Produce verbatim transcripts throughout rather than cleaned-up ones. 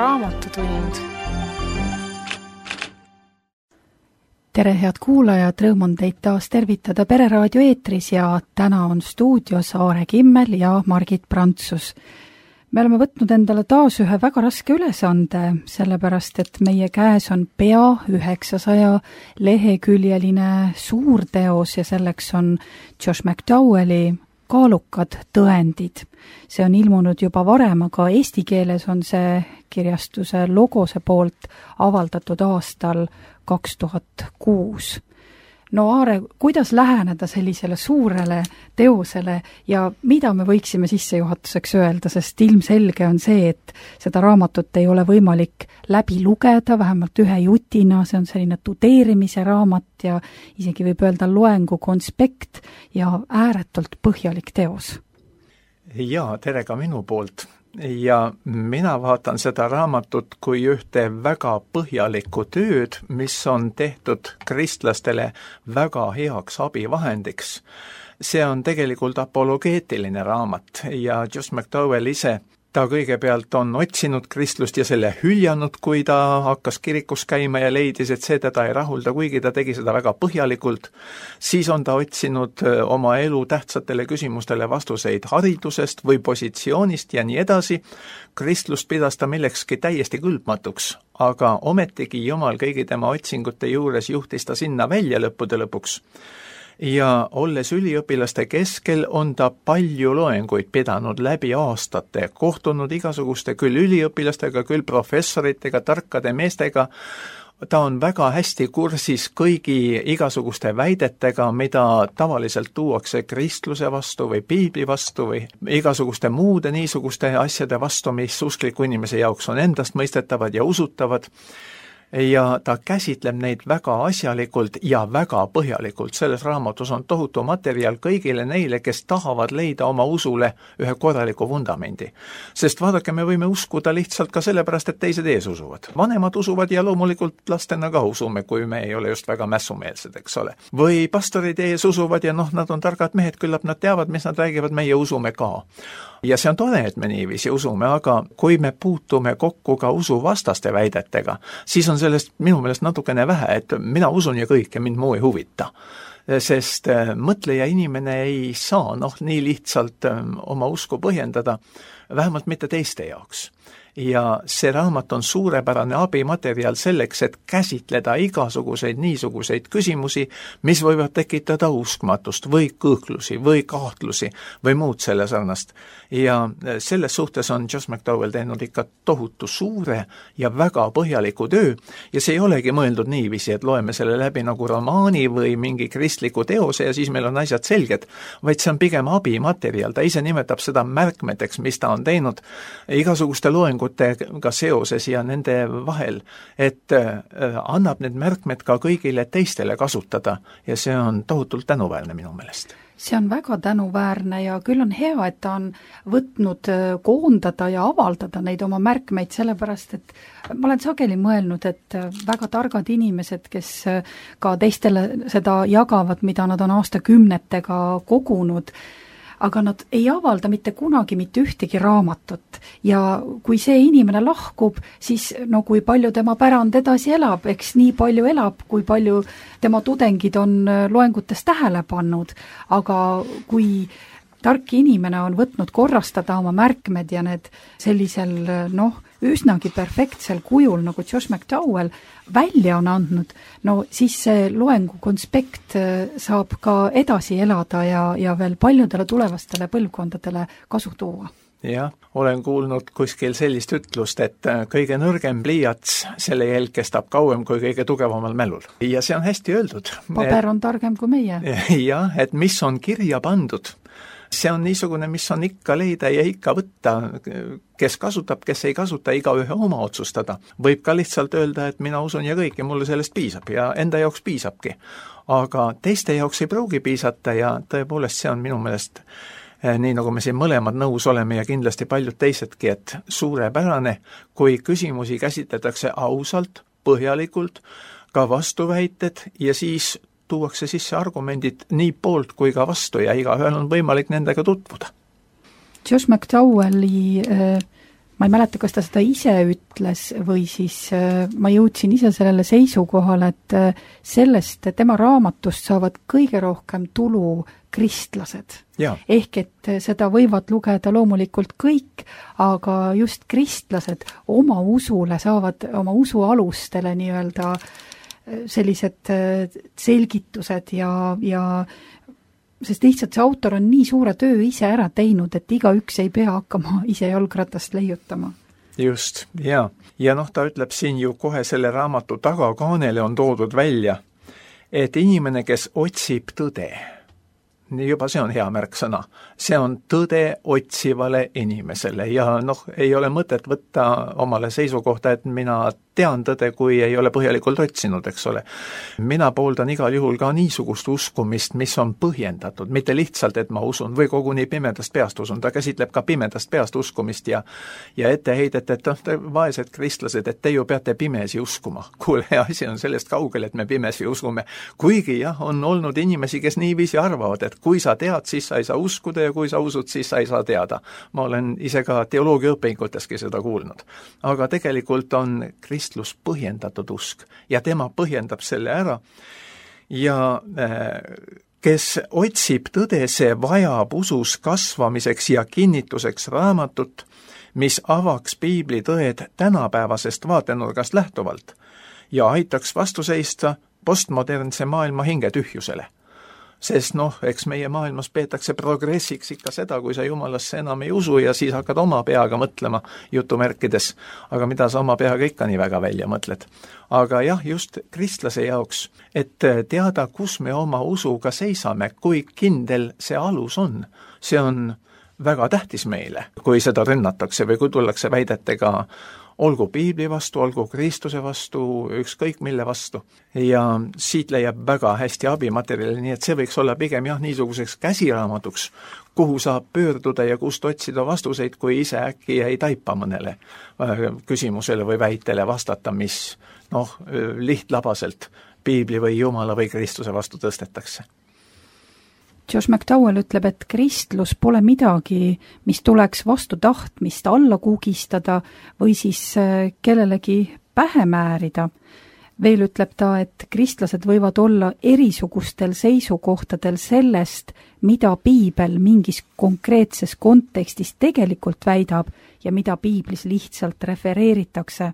Raamatutund. Tere, head kuulajad, rõõm on teid taas tervitada Pereraadio eetris ja täna on stuudios Aare Kimmel ja Margit Prantsus. Me oleme võtnud endale taas ühe väga raske ülesande, sellepärast et meie käes on pea üheksasaja leheküljeline suurteos ja selleks on Josh McDowelli Kaalukad tõendid. See on ilmunud juba varem, aga eesti keeles on see kirjastuse Logose poolt avaldatud aastal kaks tuhat kuus. No Aare, kuidas läheneda sellisele suurele teosele ja mida me võiksime sissejuhatuseks öelda, sest ilmselge on see, et seda raamatut ei ole võimalik läbi lugeda, vähemalt ühe jutina, see on selline tudeerimise raamat ja isegi võib öelda loengu konspekt ja ääretult põhjalik teos. Jaa, tere ka minu poolt. Ja mina vaatan seda raamatut kui ühte väga põhjalikku tööd, mis on tehtud kristlastele väga heaks abivahendiks. See on tegelikult apologeetiline raamat ja Josh McDowell ise, ta kõigepealt on otsinud kristlust ja selle hüljanud, kui ta hakkas kirikus käima ja leidis, et see teda ei rahulda, kuigi ta tegi seda väga põhjalikult. Siis on ta otsinud oma elu tähtsatele küsimustele vastuseid haridusest või positsioonist ja nii edasi. Kristlust pidas ta millekski täiesti kõlbmatuks, aga ometigi Jumal kõigi tema otsingute juures juhtis ta sinna välja lõppude lõpuks. Ja olles üliõpilaste keskel on ta palju loenguid pidanud läbi aastate, kohtunud igasuguste küll üliõpilastega, küll professoritega, tarkade meestega. Ta on väga hästi kursis kõigi igasuguste väidetega, mida tavaliselt tuuakse kristluse vastu või piibli vastu või igasuguste muude niisuguste asjade vastu, mis uskliku inimese jaoks on endast mõistetavad ja usutavad. Ja ta käsitleb neid väga asjalikult ja väga põhjalikult. Selles raamatus on tohutu materjal kõigile neile, kes tahavad leida oma usule ühe korraliku vundamendi. Sest vaadake, me võime uskuda lihtsalt ka sellepärast, et teised ees usuvad. Vanemad usuvad ja loomulikult lastena ka usume, kui me ei ole just väga mässumeelsed, eks ole. Või pastorid ees usuvad ja noh, nad on targad mehed, küllap nad teavad, mis nad räägivad, meie usume ka. Ja see on tore, et me niiviisi usume, aga kui me puutume kokku ka usuvastaste väidetega, siis on sellest minu meelest natukene vähe, et mina usun ja kõik ja mind muu ei huvita. Sest mõtleja inimene ei saa noh, nii lihtsalt oma usku põhjendada, vähemalt mitte teiste jaoks. Ja see raamat on suurepärane abimaterjal selleks, et käsitleda igasuguseid niisuguseid küsimusi, mis võivad tekitada uskmatust või kõhklusi või kahtlusi või muud selle sarnast. Ja selles suhtes on Josh McDowell teinud ikka tohutu suure ja väga põhjaliku töö ja see ei olegi mõeldud niiviisi, et loeme selle läbi nagu romaani või mingi kristliku teose ja siis meil on asjad selged, vaid see on pigem abimaterjal. Ta ise nimetab seda märkmeteks, mis ta on teinud igasuguste loengutega seoses ja nende vahel, et annab need märkmed ka kõigile teistele kasutada ja see on tohutult tänuväärne minu meelest. See on väga tänuväärne ja küll on hea, et ta on võtnud koondada ja avaldada neid oma märkmeid, sellepärast et ma olen sageli mõelnud, et väga targad inimesed, kes ka teistele seda jagavad, mida nad on aastakümnetega kogunud, aga nad ei avalda mitte kunagi mitte ühtegi raamatut ja kui see inimene lahkub, siis no kui palju tema pärand edasi elab, eks nii palju elab, kui palju tema tudengid on loengutes tähele pannud, aga kui tark inimene on võtnud korrastada oma märkmed ja need sellisel noh, üsnagi perfektsel kujul, nagu Josh McDowell välja on andnud, no siis see loengu konspekt saab ka edasi elada ja, ja veel paljudele tulevastele põlvkondadele kasu tuua. Jah, olen kuulnud kuskil sellist ütlust, et kõige nõrgem pliiats, selle jälg kestab kauem kui kõige tugevamal mälul. Ja see on hästi öeldud. Paber on targem kui meie. Jah, et mis on kirja pandud, see on niisugune, mis on ikka leida ja ikka võtta, kes kasutab, kes ei kasuta, igaühe oma otsustada. Võib ka lihtsalt öelda, et mina usun ja kõik ja mulle sellest piisab ja enda jaoks piisabki. Aga teiste jaoks ei pruugi piisata ja tõepoolest see on minu meelest nii nagu me siin mõlemad nõus oleme ja kindlasti paljud teisedki, et suurepärane, kui küsimusi käsitletakse ausalt, põhjalikult, ka vastuväited ja siis tuuakse sisse argumendid nii poolt kui ka vastu ja igaühel on võimalik nendega tutvuda. Josh McDowelli äh, ma ei mäleta, kas ta seda ise ütles või siis ma jõudsin ise sellele seisukohale, et sellest tema raamatust saavad kõige rohkem tulu kristlased. Ja. Ehk et seda võivad lugeda loomulikult kõik, aga just kristlased oma usule saavad, oma usu alustele nii-öelda sellised selgitused ja, ja sest lihtsalt see autor on nii suure töö ise ära teinud, et igaüks ei pea hakkama ise jalgratast leiutama. Just, ja. Ja noh, ta ütleb siin ju kohe selle raamatu tagakaanele on toodud välja, et inimene, kes otsib tõde, nii juba see on hea märksõna, see on tõde otsivale inimesele ja noh, ei ole mõtet võtta omale seisukohta, et mina tean tõde, kui ei ole põhjalikult otsinud, eks ole. Mina pooldan igal juhul ka niisugust uskumist, mis on põhjendatud, mitte lihtsalt, et ma usun või koguni pimedast peast usun, ta käsitleb ka pimedast peast uskumist ja ja etteheidet, et te vaesed kristlased, et te ju peate pimesi uskuma. Kuule, asi on sellest kaugel, et me pimesi usume. Kuigi jah, on olnud inimesi, kes niiviisi arvavad, et kui sa tead, siis sa ei saa uskuda ja kui sa usud, siis sa ei saa teada. Ma olen ise ka teoloogia õpinguteski seda kuulnud. Aga tegelikult on kristlus põhjendatud usk ja tema põhjendab selle ära ja kes otsib tõde, see vajab usus kasvamiseks ja kinnituseks raamatut, mis avaks piibli tõed tänapäevasest vaatenurgast lähtuvalt ja aitaks vastu seista postmodernse maailma hingetühjusele. Sest noh, eks meie maailmas peetakse progressiks ikka seda, kui sa jumalasse enam ei usu ja siis hakkad oma peaga mõtlema jutumärkides, aga mida sa oma peaga ikka nii väga välja mõtled. Aga jah, just kristlase jaoks, et teada, kus me oma usuga seisame, kui kindel see alus on, see on väga tähtis meile, kui seda rünnatakse või kui tullakse väidetega olgu piibli vastu, olgu Kristuse vastu, ükskõik mille vastu. Ja siit leiab väga hästi abimaterjali, nii et see võiks olla pigem jah, niisuguseks käsiraamatuks, kuhu saab pöörduda ja kust otsida vastuseid, kui ise äkki ei taipa mõnele küsimusele või väitele vastata, mis noh, lihtlabaselt piibli või Jumala või Kristuse vastu tõstetakse. Josh McDowell ütleb, et kristlus pole midagi, mis tuleks vastu tahtmist alla kugistada või siis kellelegi pähe määrida. Veel ütleb ta, et kristlased võivad olla erisugustel seisukohtadel sellest, mida piibel mingis konkreetses kontekstis tegelikult väidab ja mida piiblis lihtsalt refereeritakse.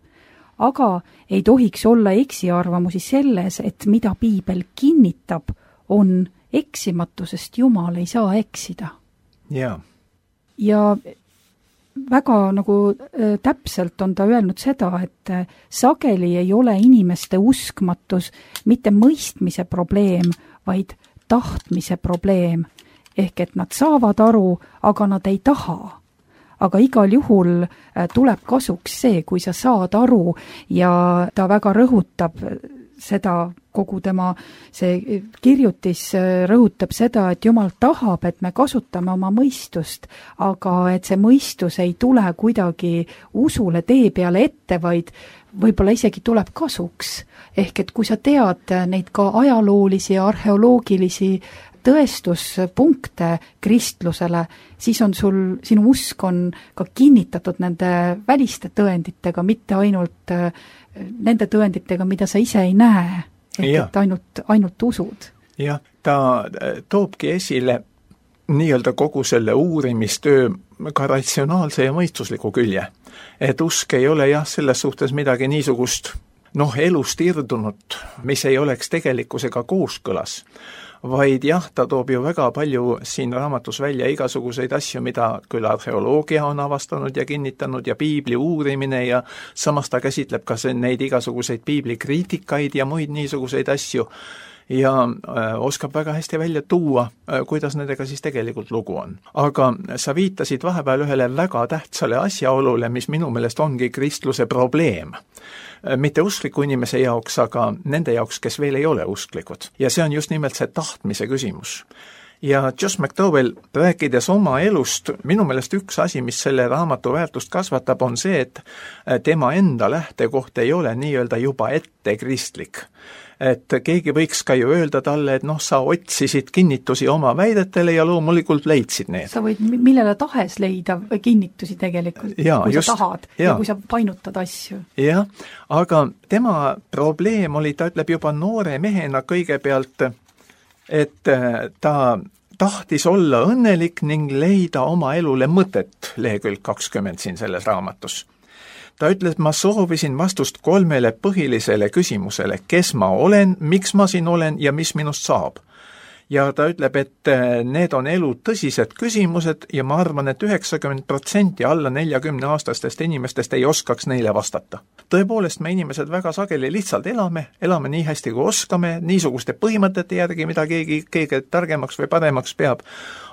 Aga ei tohiks olla eksiarvamusi selles, et mida piibel kinnitab, on eksimatusest Jumal ei saa eksida. Ja. Ja väga nagu äh, täpselt on ta öelnud seda, et äh, sageli ei ole inimeste uskmatus mitte mõistmise probleem, vaid tahtmise probleem. Ehk et nad saavad aru, aga nad ei taha. Aga igal juhul äh, tuleb kasuks see, kui sa saad aru ja ta väga rõhutab seda, kogu tema see kirjutis rõhutab seda, et Jumal tahab, et me kasutame oma mõistust, aga et see mõistus ei tule kuidagi usule tee peale ette, vaid võib-olla isegi tuleb kasuks. Ehk et kui sa tead neid ka ajaloolisi ja arheoloogilisi tõestuspunkte kristlusele, siis on sul, sinu usk on ka kinnitatud nende väliste tõenditega, mitte ainult nende tõenditega, mida sa ise ei näe, ehk ja. et ainult, ainult usud. Jah, ta toobki esile nii-öelda kogu selle uurimistöö ka ratsionaalse ja mõistusliku külje. Et usk ei ole jah, selles suhtes midagi niisugust noh, elust irdunud, mis ei oleks tegelikkusega kooskõlas. Vaid jah, ta toob ju väga palju siin raamatus välja igasuguseid asju, mida küll arheoloogia on avastanud ja kinnitanud ja piibli uurimine ja samas ta käsitleb ka neid igasuguseid piibli kriitikaid ja muid niisuguseid asju ja äh, oskab väga hästi välja tuua, äh, kuidas nendega siis tegelikult lugu on. Aga sa viitasid vahepeal ühele väga tähtsale asjaolule, mis minu meelest ongi kristluse probleem. Mitte uskliku inimese jaoks, aga nende jaoks, kes veel ei ole usklikud. Ja see on just nimelt see tahtmise küsimus. ja Josh McDowell, rääkides oma elust, minu meelest üks asi, mis selle raamatu väärtust kasvatab, on see, et tema enda lähtekoht ei ole nii-öelda juba ette kristlik. Et keegi võiks ka ju öelda talle, et noh, sa otsisid kinnitusi oma väidetele ja loomulikult leidsid need. Sa võid millele tahes leida kinnitusi tegelikult, ja, kui just, sa tahad ja. ja kui sa painutad asju. Jah, aga tema probleem oli, ta ütleb juba noore mehena kõigepealt, et ta tahtis olla õnnelik ning leida oma elule mõtet, lehekülg kakskümmend siin selles raamatus. Ta ütles, ma soovisin vastust kolmele põhilisele küsimusele, kes ma olen, miks ma siin olen ja mis minust saab. Ja ta ütleb, et need on elu tõsised küsimused ja ma arvan, et üheksakümmend protsenti alla neljakümne aastastest inimestest ei oskaks neile vastata. Tõepoolest, me inimesed väga sageli lihtsalt elame, elame nii hästi kui oskame, niisuguste põhimõtete järgi, mida keegi, keegi targemaks või paremaks peab,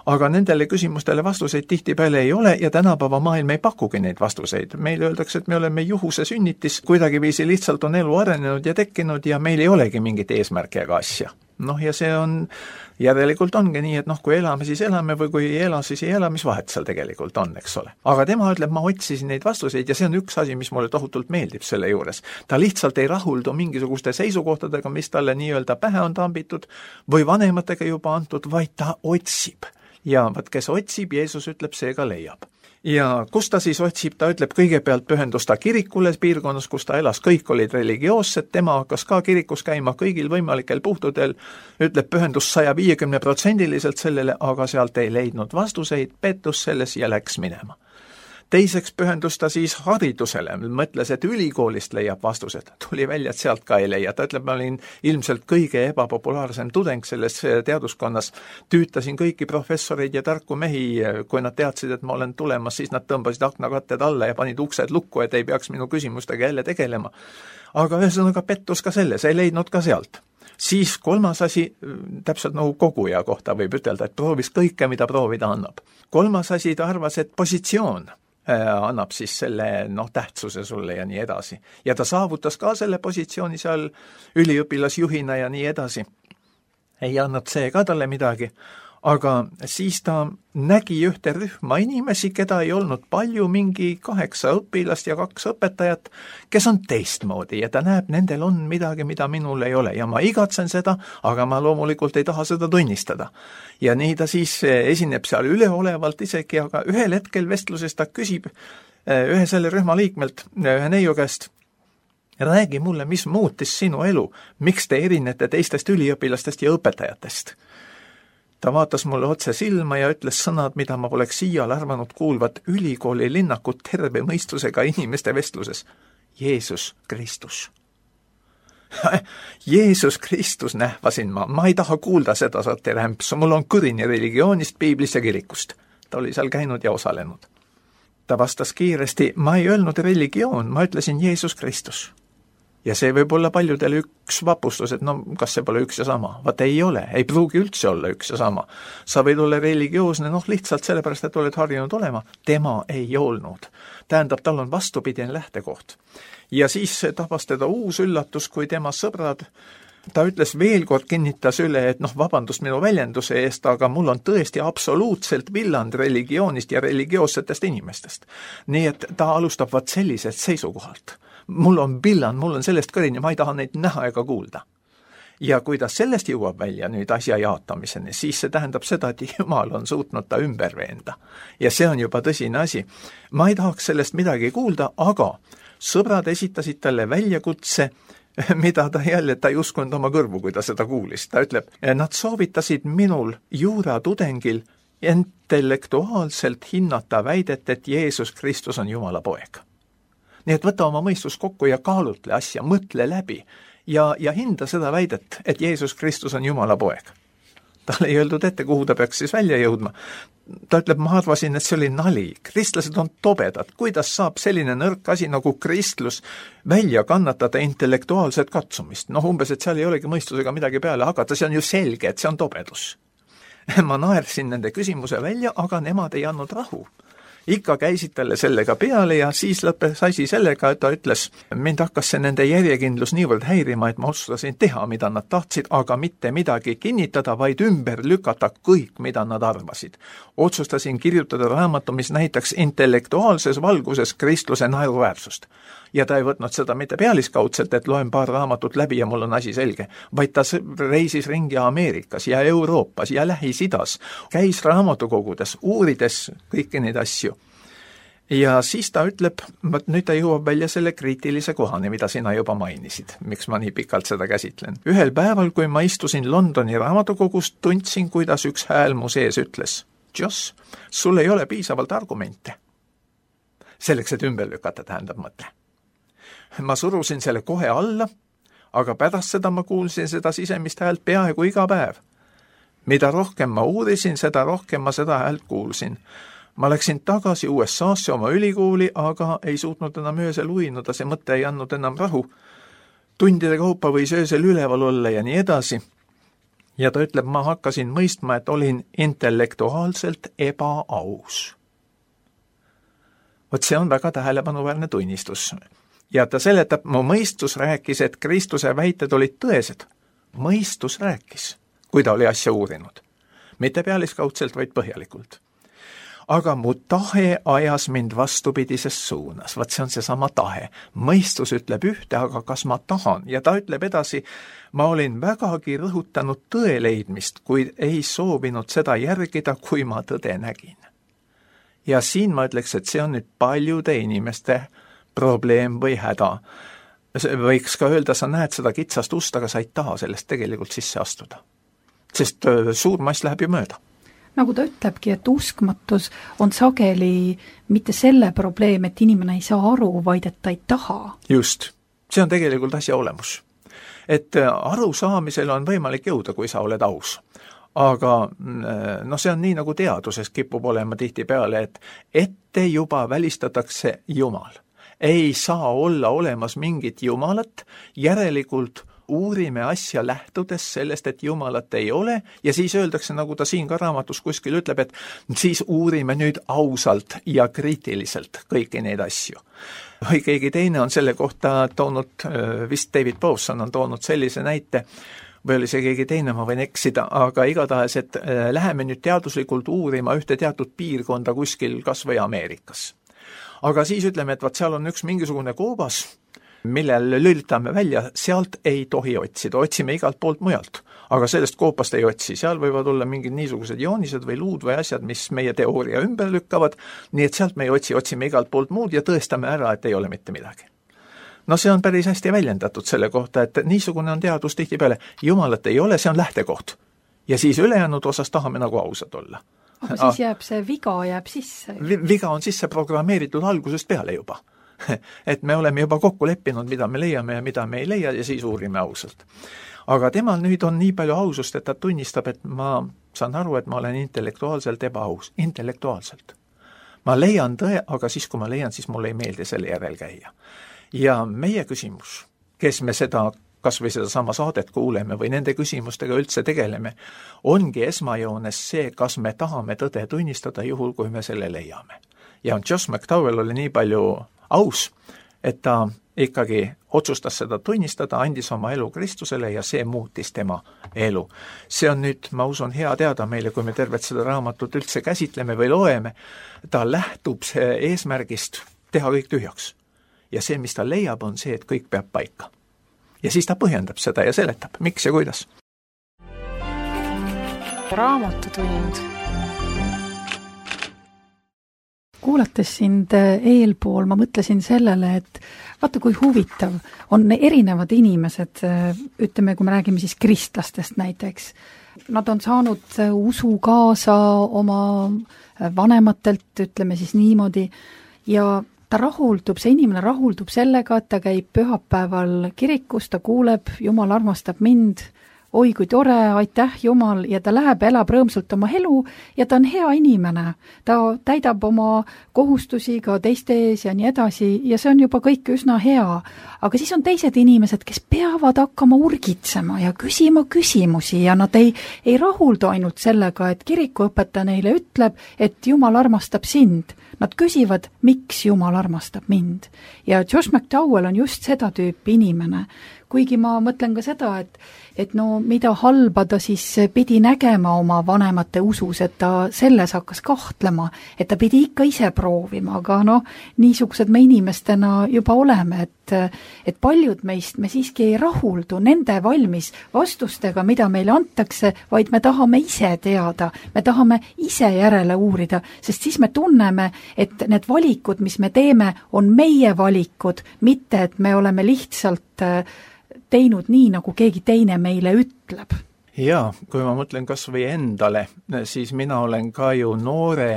aga nendele küsimustele vastuseid tihtipeale ei ole ja tänapäeva maailm ei pakugi neid vastuseid. Meile öeldakse, et me oleme juhuse sünnitis, kuidagiviisi lihtsalt on elu arenenud ja tekkinud ja meil ei olegi mingit eesmärki ega asja. Noh, ja see on, järelikult ongi nii, et noh, kui elame, siis elame või kui ei ela, siis ei ela, mis vahet seal tegelikult on, eks ole. Aga tema ütleb, ma otsisin neid vastuseid ja see on üks asi, mis mulle tohutult meeldib selle juures. Ta lihtsalt ei rahuldu mingisuguste seisukohtadega, mis talle nii-öelda pähe on tambitud või vanematega juba antud, vaid ta otsib. Ja vaat, kes otsib, Jeesus ütleb, see ka leiab. Ja kus ta siis otsib, ta ütleb, kõigepealt pühendus ta kirikule piirkonnas, kus ta elas, kõik olid religioossed, tema hakkas ka kirikus käima kõigil võimalikel puhtudel, ütleb, pühendus saja viiekümne protsendiliselt sellele, aga sealt ei leidnud vastuseid, pettus selles ja läks minema. Teiseks pühendus ta siis haridusele, mõtles, et ülikoolist leiab vastused. Tuli välja, et sealt ka ei leia. Ta ütleb, ma olin ilmselt kõige ebapopulaarsem tudeng selles teaduskonnas. Tüütasin kõiki professoreid ja tarku mehi, kui nad teadsid, et ma olen tulemas, siis nad tõmbasid aknakatted alla ja panid uksed lukku, et ei peaks minu küsimustega jälle tegelema. Aga ühesõnaga pettus ka selles, ei leidnud ka sealt. Siis kolmas asi, täpselt nagu koguja kohta võib ütelda, et proovis kõike, mida proovida annab. Kolmas asi, ta arvas, et positsioon annab siis selle noh, tähtsuse sulle ja nii edasi. Ja ta saavutas ka selle positsiooni seal üliõpilasjuhina ja nii edasi. Ei annab see ka talle midagi, aga siis ta nägi ühte rühma inimesi, keda ei olnud palju, mingi kaheksa õpilast ja kaks õpetajat, kes on teistmoodi ja ta näeb, nendel on midagi, mida minul ei ole ja ma igatsen seda, aga ma loomulikult ei taha seda tunnistada. Ja nii ta siis esineb seal üleolevalt isegi, aga ühel hetkel vestluses ta küsib ühe selle rühma liikmelt, ühe neiu käest, räägi mulle, mis muutis sinu elu, miks te erinete teistest üliõpilastest ja õpetajatest? Ta vaatas mulle otse silma ja ütles sõnad, mida ma poleks siial arvanud kuulvat ülikooli linnakut terve mõistusega inimeste vestluses. Jeesus Kristus. Jeesus Kristus nähvasin ma. Ma ei taha kuulda seda saate rämpsu. Mul on kõrini religioonist, piiblist ja kirikust. Ta oli seal käinud ja osalenud. Ta vastas kiiresti, ma ei öelnud religioon, ma ütlesin Jeesus Kristus. Ja see võib olla paljudel üks vapustus, et no kas see pole üks ja sama? Vaat ei ole, ei pruugi üldse olla üks ja sama. Sa võid olla religioosne, noh lihtsalt sellepärast, et oled harjunud olema. Tema ei olnud. Tähendab, tal on vastupidine lähtekoht. Ja siis tabas teda uus üllatus, kui tema sõbrad, ta ütles veel kord, kinnitas üle, et noh, vabandust minu väljenduse eest, aga mul on tõesti absoluutselt villand religioonist ja religioossetest inimestest. Nii et ta alustab vaat sellisest seisukohalt. Mul on villan, mul on sellest kõrini, ma ei taha neid näha ega kuulda. Ja kui ta sellest jõuab välja nüüd asja jaatamiseni, siis see tähendab seda, et Jumal on suutnud ta ümber veenda. Ja see on juba tõsine asi. Ma ei tahaks sellest midagi kuulda, aga sõbrad esitasid talle väljakutse, mida ta jälle, ta ei uskunud oma kõrvu, kui ta seda kuulis. Ta ütleb, nad soovitasid minul juuratudengil intellektuaalselt hinnata väidet, et Jeesus Kristus on Jumala poeg. Nii et võta oma mõistus kokku ja kaalutle asja, mõtle läbi ja, ja hinda seda väidet, et Jeesus Kristus on Jumala poeg. Talle ei öeldud ette, kuhu ta peaks siis välja jõudma. Ta ütleb, ma arvasin, et see oli nali. Kristlased on tobedad. Kuidas saab selline nõrk asi nagu kristlus välja kannatada intellektuaalset katsumist? Noh, umbes, et seal ei olegi mõistusega midagi peale hakata, see on ju selge, et see on tobedus. Ma naersin nende küsimuse välja, aga nemad ei andnud rahu. ikka käisid talle sellega peale ja siis lõppes asi sellega, et ta ütles, mind hakkas see nende järjekindlus niivõrd häirima, et ma otsustasin teha, mida nad tahtsid, aga mitte midagi kinnitada, vaid ümber lükata kõik, mida nad arvasid. Otsustasin kirjutada raamatu, mis näitaks intellektuaalses valguses kristluse naeruväärsust. Ja ta ei võtnud seda mitte pealiskaudselt, et loen paar raamatut läbi ja mul on asi selge, vaid ta reisis ringi Ameerikas ja Euroopas ja Lähis-Idas, käis raamatukogudes, uurides kõiki neid asju. Ja siis ta ütleb, nüüd ta jõuab välja selle kriitilise kohani, mida sina juba mainisid, miks ma nii pikalt seda käsitlen. Ühel päeval, kui ma istusin Londoni raamatukogust, tundsin, kuidas üks hääl mu sees ütles, Joss, sul ei ole piisavalt argumente. Selleks, et ümber lükata, tähendab mõte. Ma surusin selle kohe alla, aga pärast seda ma kuulsin seda sisemist häält peaaegu iga päev. Mida rohkem ma uurisin, seda rohkem ma seda häält kuulsin. Ma läksin tagasi U S A-sse oma ülikooli, aga ei suutnud enam öösel uinuda, see mõte ei andnud enam rahu. Tundide kaupa võis öösel üleval olla ja nii edasi. Ja ta ütleb, ma hakkasin mõistma, et olin intellektuaalselt ebaaus. Vot see on väga tähelepanuväärne tunnistus. Ja ta seletab, mu mõistus rääkis, et Kristuse väited olid tõesed. Mõistus rääkis, kui ta oli asja uurinud. Mitte pealiskaudselt, vaid põhjalikult. Aga mu tahe ajas mind vastupidises suunas. Vaat see on see sama tahe. Mõistus ütleb ühte, aga kas ma tahan? Ja ta ütleb edasi, ma olin vägagi rõhutanud tõe leidmist, kuid ei soovinud seda järgida, kui ma tõde nägin. Ja siin ma ütleks, et see on nüüd paljude inimeste probleem või häda. Võiks ka öelda, sa näed seda kitsast ust, aga sa ei taha sellest tegelikult sisse astuda. Sest suur mass läheb ju mööda. Nagu ta ütlebki, et uskmatus on sageli mitte selle probleem, et inimene ei saa aru, vaid et ta ei taha. Just. See on tegelikult asja olemus. Et aru saamisel on võimalik jõuda, kui sa oled aus. Aga no see on nii, nagu teaduses kipub olema tihti peale, et ette juba välistatakse Jumal. Ei saa olla olemas mingit Jumalat, järelikult uurime asja lähtudes sellest, et Jumalat ei ole, ja siis öeldakse, nagu ta siin ka raamatus kuskil ütleb, et siis uurime nüüd ausalt ja kriitiliselt kõiki neid asju. Või keegi teine on selle kohta toonud, vist David Powson on toonud sellise näite, või oli see keegi teine, ma võin eksida, aga igatahes, et läheme nüüd teaduslikult uurima ühte teatud piirkonda kuskil kas või Ameerikas. Aga siis ütleme, et vaat seal on üks mingisugune koobas, millel lülitame välja, sealt ei tohi otsida, otsime igalt poolt mujalt, aga sellest koopast ei otsi, seal võivad olla mingid niisugused joonised või luud või asjad, mis meie teooria ümber lükkavad, nii et sealt me ei otsi, otsime igalt poolt muud ja tõestame ära, et ei ole mitte midagi. No see on päris hästi väljendatud selle kohta, et niisugune on teadus tihtipeale, Jumalat ei ole, see on lähtekoht. Ja siis ülejäänud osas tahame nagu ausad olla. Aga siis jääb see viga jääb sisse. Viga on sisse programmeeritud algusest peale juba. Et me oleme juba kokku leppinud, mida me leiame ja mida me ei leia ja siis uurime ausalt. Aga temal nüüd on nii palju ausust, et ta tunnistab, et ma saan aru, et ma olen intellektuaalselt ebaaus. Intellektuaalselt. Ma leian tõe, aga siis kui ma leian, siis mulle ei meeldi selle järel käia. Ja meie küsimus, kes me seda kas või seda sama saadet kuuleme või nende küsimustega üldse tegeleme, ongi esmajoones see, kas me tahame tõde tunnistada juhul, kui me selle leiame. Ja Joss McDowell oli nii palju aus, et ta ikkagi otsustas seda tunnistada, andis oma elu Kristusele ja see muutis tema elu. See on nüüd, ma usun, hea teada meile, kui me tervet seda raamatut üldse käsitleme või loeme, ta lähtub see eesmärgist teha kõik tühjaks. Ja see, mis ta leiab, on see, et kõik peab paika. Ja siis ta põhjendab seda ja seletab, miks ja kuidas. Raamatutund. Kuulates sind eelpool, ma mõtlesin sellele, et vaata kui huvitav on erinevad inimesed, ütleme, kui me räägime siis kristlastest näiteks. Nad on saanud usu kaasa oma vanematelt, ütleme siis niimoodi, ja ta rahuldub, see inimene rahuldub sellega, et ta käib pühapäeval kirikus, ta kuuleb, Jumal armastab mind, oi kui tore, aitäh Jumal, ja ta läheb, elab rõõmsalt oma elu ja ta on hea inimene. Ta täidab oma kohustusi ka teiste ees ja nii edasi ja see on juba kõik üsna hea. Aga siis on teised inimesed, kes peavad hakkama urgitsema ja küsima küsimusi ja nad ei, ei rahuldu ainult sellega, et kirikuõpetaja neile ütleb, et Jumal armastab sind. Nad küsivad, miks Jumal armastab mind. Ja Josh McDowell on just seda tüüpi inimene. Kuigi ma mõtlen ka seda, et, et no mida halba ta siis pidi nägema oma vanemate usus, et ta selles hakkas kahtlema, et ta pidi ikka ise proovima, aga no niisugused me inimestena juba oleme, et, et paljud meist me siiski ei rahuldu nende valmis vastustega, mida meile antakse, vaid me tahame ise teada, me tahame ise järele uurida, sest siis me tunneme, et need valikud, mis me teeme, on meie valikud, mitte et me oleme lihtsalt teinud nii, nagu keegi teine meile ütleb. Jaa, kui ma mõtlen kas või endale, siis mina olen ka ju noore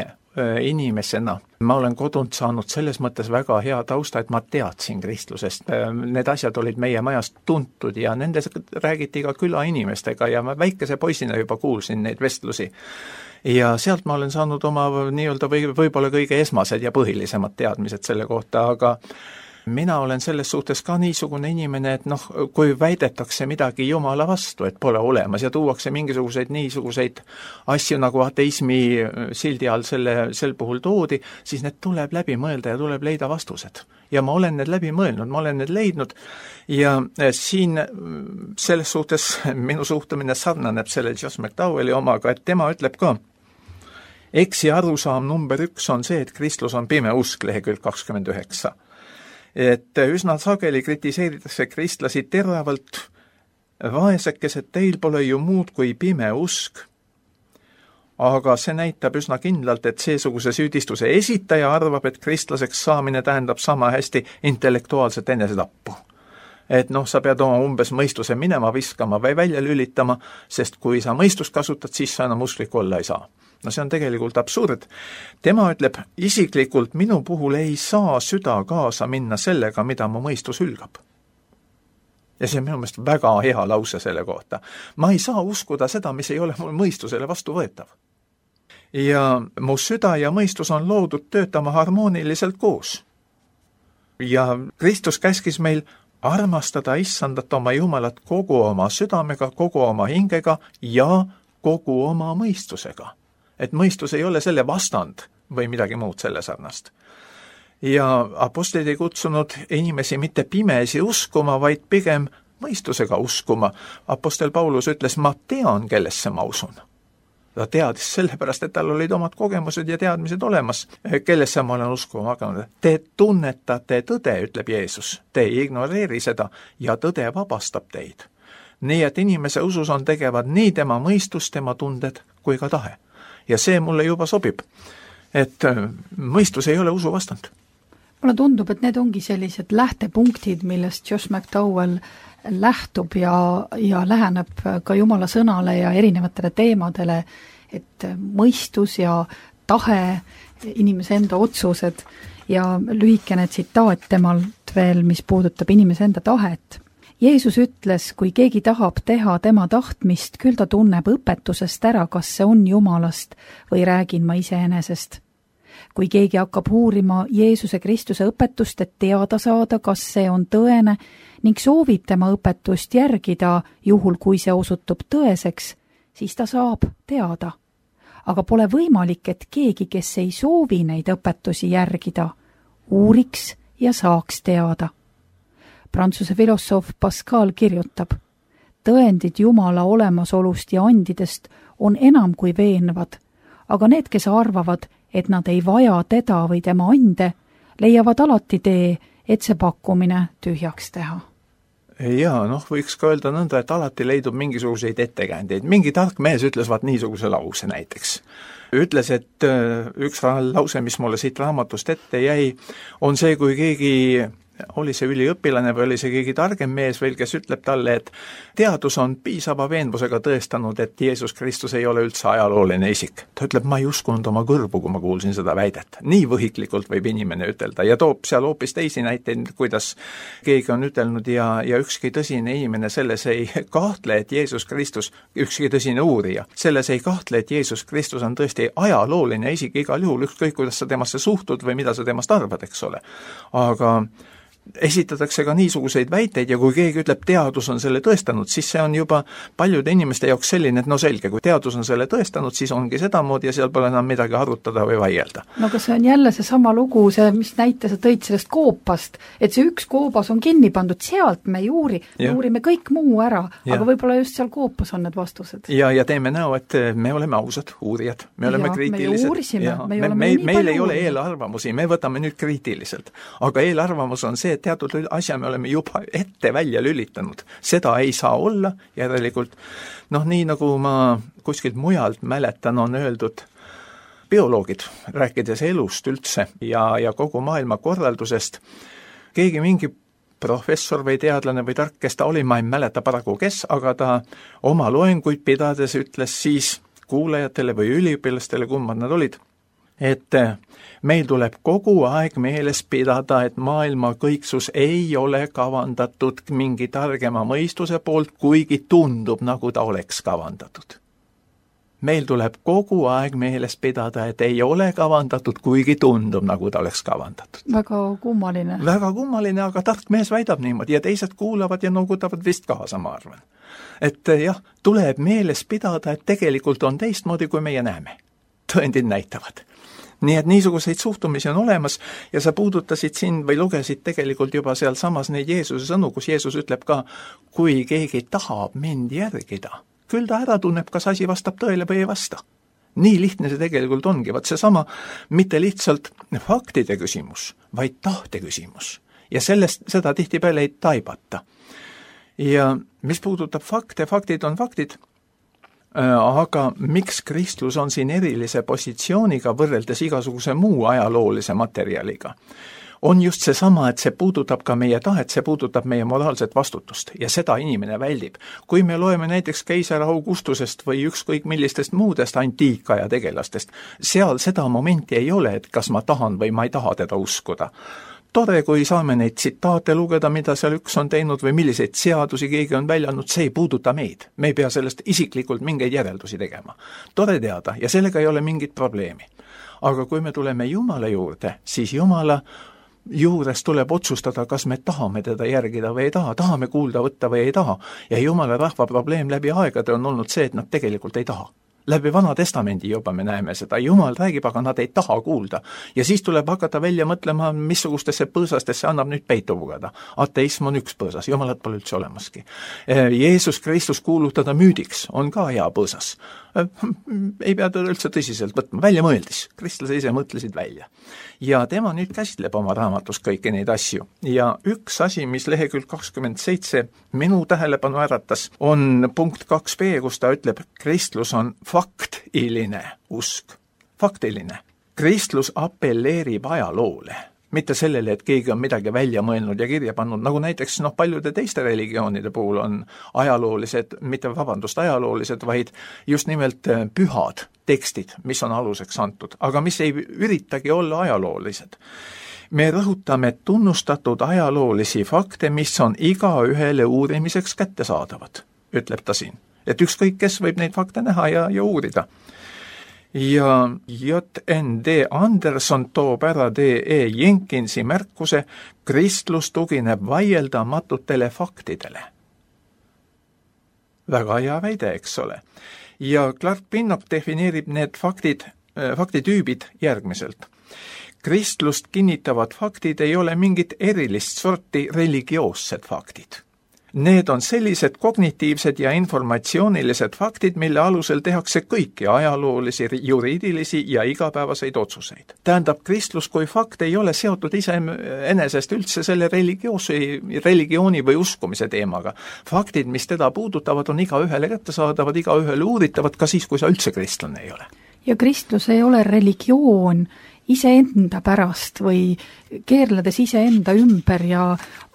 inimesena. Ma olen kodunt saanud selles mõttes väga hea tausta, et ma teadsin kristlusest. Need asjad olid meie majast tuntud ja nendes räägiti ka külainimestega ja ma väikese poisina juba kuulsin neid vestlusi. Ja sealt ma olen saanud oma nii-öelda või, võib-olla kõige esmased ja põhilisemad teadmised selle kohta, aga mina olen selles suhtes ka niisugune inimene, et noh, kui väidetakse midagi Jumala vastu, et pole olemas ja tuuakse mingisuguseid niisuguseid asju nagu ateismi sildi all selle, sel puhul toodi, siis need tuleb läbi mõelda ja tuleb leida vastused. Ja ma olen need läbi mõelnud, ma olen need leidnud ja siin selles suhtes minu suhtumine sarnaneb selle Josh McDowelli omaga, et tema ütleb ka, eksi arusaam number üks on see, et kristlus on pime usk, lehekülg kakskümmend üheksa. Et üsna sageli kritiseeritakse kristlasi teravalt, vaesekesed, teil pole ju muud kui pime usk. Aga see näitab üsna kindlalt, et seesuguse süüdistuse esitaja arvab, et kristlaseks saamine tähendab sama hästi intellektuaalset enesetappu. Et noh, sa pead oma umbes mõistuse minema viskama või välja lülitama, sest kui sa mõistust kasutad, siis sa enam usklik olla ei saa. No see on tegelikult absurd. Tema ütleb, isiklikult minu puhul ei saa süda kaasa minna sellega, mida mu mõistus hülgab. Ja see on minu meelest väga hea lause selle kohta. Ma ei saa uskuda seda, mis ei ole mul mõistusele vastu võetav. Ja mu süda ja mõistus on loodud töötama harmooniliselt koos. Ja Kristus käskis meil armastada issandat oma Jumalat kogu oma südamega, kogu oma hingega ja kogu oma mõistusega. Et mõistus ei ole selle vastand või midagi muud selle sarnast. Ja apostlid ei kutsunud inimesi mitte pimesi uskuma, vaid pigem mõistusega uskuma. Apostel Paulus ütles, ma tean, kellesse ma usun. Ta teadis sellepärast, et tal olid omad kogemused ja teadmised olemas, kellesse ma olen uskuma hakanud. Te tunnetate tõde, ütleb Jeesus. Te ei ignoreeri seda ja tõde vabastab teid. Nii, et inimese usus on tegevad nii tema mõistus, tema tunded kui ka tahe. Ja see mulle juba sobib, et mõistus ei ole usu vastand. Mulle tundub, et need ongi sellised lähtepunktid, millest Josh McDowell lähtub ja, ja läheneb ka Jumala sõnale ja erinevatele teemadele, et mõistus ja tahe, inimese enda otsused ja lühikene tsitaat temalt veel, mis puudutab inimese enda tahet. Jeesus ütles, kui keegi tahab teha tema tahtmist, küll ta tunneb õpetusest ära, kas see on Jumalast või räägin ma iseenesest. Kui keegi hakkab uurima Jeesuse Kristuse õpetust, et teada saada, kas see on tõene ning soovib tema õpetust järgida, juhul kui see osutub tõeseks, siis ta saab teada. Aga pole võimalik, et keegi, kes ei soovi neid õpetusi järgida, uuriks ja saaks teada. Prantsuse filosoof Pascal kirjutab, tõendid Jumala olemasolust ja andidest on enam kui veenvad, aga need, kes arvavad, et nad ei vaja teda või tema ande, leiavad alati tee, et see pakkumine tühjaks teha. Jaa, noh, võiks ka öelda nõnda, et alati leidub mingisuguseid ettekäändeid. Mingi tark mees ütles vaat niisuguse lause näiteks. Ütles, et üks lause, mis mulle siit raamatust ette jäi, on see, kui keegi oli see üliõpilane või oli see keegi targem mees veel, kes ütleb talle, et teadus on piisava veenvusega tõestanud, et Jeesus Kristus ei ole üldse ajalooline isik. Ta ütleb, ma ei uskunud oma kõrvu, kui ma kuulsin seda väidet. Nii võhiklikult võib inimene ütelda ja toob seal hoopis teisi näiteid, kuidas keegi on ütelnud ja, ja ükski tõsine inimene selles ei kahtle, et Jeesus Kristus, ükski tõsine uurija, selles ei kahtle, et Jeesus Kristus on tõesti ajalooline isik igal juhul, ükskõik kuidas sa temasse suhtud või mida sa temast arvad, eks ole. Aga esitatakse ka niisuguseid väiteid ja kui keegi ütleb, teadus on selle tõestanud, siis see on juba paljude inimeste jaoks selline, et no selge, kui teadus on selle tõestanud, siis ongi sedamoodi ja seal pole enam midagi arutada või vaielda. No aga see on jälle see sama lugu, see, mis näite sa tõid sellest koopast, et see üks koobas on kinni pandud, sealt me ei uuri, me uurime kõik muu ära, ja. Aga võib-olla just seal koopas on need vastused. Ja, ja teeme näo, et me oleme ausad uurijad, me oleme ja, kriitilised. Me uurisime, me, me, me, meil ei ole eelarvamusi, me võtame nüüd kriitiliselt, aga eelarvamus on see, teatud asja me oleme juba ette välja lülitanud. Seda ei saa olla, järelikult, noh nii nagu ma kuskilt mujalt mäletan, on öeldud bioloogid, rääkides elust üldse ja, ja kogu maailma korraldusest, keegi mingi professor või teadlane või tark, kes ta oli, ma ei mäleta paraku kes, aga ta oma loenguid pidades ütles siis kuulajatele või üliõpilastele, kummad nad olid, et meil tuleb kogu aeg meeles pidada, et maailma kõiksus ei ole kavandatud mingi targema mõistuse poolt, kuigi tundub, nagu ta oleks kavandatud. Meil tuleb kogu aeg meeles pidada, et ei ole kavandatud, kuigi tundub, nagu ta oleks kavandatud. Väga kummaline. Väga kummaline, aga tark mees väidab niimoodi ja teised kuulavad ja nogutavad vist kaasa, ma arvan. Et jah, tuleb meeles pidada, et tegelikult on teistmoodi, kui meie näeme. Tõendid näitavad. Nii et niisuguseid suhtumisi on olemas ja sa puudutasid siin või lugesid tegelikult juba seal samas neid Jeesuse sõnu, kus Jeesus ütleb ka, kui keegi tahab mind järgida, küll ta ära tunneb, kas asi vastab tõele või ei vasta. Nii lihtne see tegelikult ongi, vaat see sama mitte lihtsalt faktide küsimus, vaid tahte küsimus. Ja sellest seda tihtipeale ei taibata. Ja mis puudutab fakte, faktid on faktid, aga miks kristlus on siin erilise positsiooniga võrreldes igasuguse muu ajaloolise materjaliga? On just see sama, et see puudutab ka meie tahet, see puudutab meie moraalset vastutust ja seda inimene väldib. Kui me loeme näiteks keisar Augustusest või ükskõik millistest muudest antiikaja tegelastest, seal seda momenti ei ole, et kas ma tahan või ma ei taha teda uskuda. Tore, kui saame neid tsitaate lugeda, mida seal üks on teinud või milliseid seadusi keegi on välja andnud, see ei puuduta meid. Me ei pea sellest isiklikult mingeid järeldusi tegema. Tore teada ja sellega ei ole mingit probleemi. Aga kui me tuleme Jumala juurde, siis Jumala juures tuleb otsustada, kas me tahame teda järgida või ei taha, tahame kuulda võtta või ei taha. Ja Jumala rahva probleem läbi aegade on olnud see, et nad tegelikult ei taha. Läbi Vana Testamendi juba me näeme seda. Jumal räägib, aga nad ei taha kuulda. Ja siis tuleb hakata välja mõtlema, missugustesse põõsastesse annab nüüd peitu pugeda. Ateism on üks põõsas, Jumalat pole üldse olemaski. Jeesus Kristus kuulutada müüdiks on ka hea põõsas. Ei pea teda üldse tõsiselt võtma, välja mõeldis. Kristlase ise mõtlesid välja. Ja tema nüüd käsitleb oma raamatus kõiki neid asju. Ja üks asi, mis lehekülg kakskümmend seitse minu tähelepanu äratas, on punkt kaks B, kus ta ütleb, kristlus on faktiline usk. Faktiline. Kristlus appelleerib ajaloole. Mitte sellele, et keegi on midagi välja mõelnud ja kirja pannud, nagu näiteks noh, paljude teiste religioonide puhul on ajaloolised, mitte vabandust ajaloolised, vaid just nimelt pühad tekstid, mis on aluseks antud, aga mis ei üritagi olla ajaloolised. Me rõhutame tunnustatud ajaloolisi fakte, mis on igaühele uurimiseks kättesaadavad, ütleb ta siin. Et ükskõik kes võib neid fakte näha ja, ja uurida. Ja J N D Anderson toob ära D E Jenkinsi märkuse, kristlus tugineb vaieldamatutele faktidele. Väga hea väide, eks ole. Ja Clark Pinnock defineerib need faktid, faktitüübid järgmiselt. Kristlust kinnitavad faktid ei ole mingit erilist sorti religioossed faktid. Need on sellised kognitiivsed ja informatsioonilised faktid, mille alusel tehakse kõiki ajaloolisi, juriidilisi ja igapäevaseid otsuseid. Tähendab, kristlus kui fakt ei ole seotud ise enesest üldse selle religioosi, religiooni või uskumise teemaga. Faktid, mis teda puudutavad, on iga ühele kättesaadavad, iga ühele uuritavad, ka siis, kui sa üldse kristlane ei ole. Ja kristlus ei ole religioon iseenda pärast või keerledes iseenda ümber ja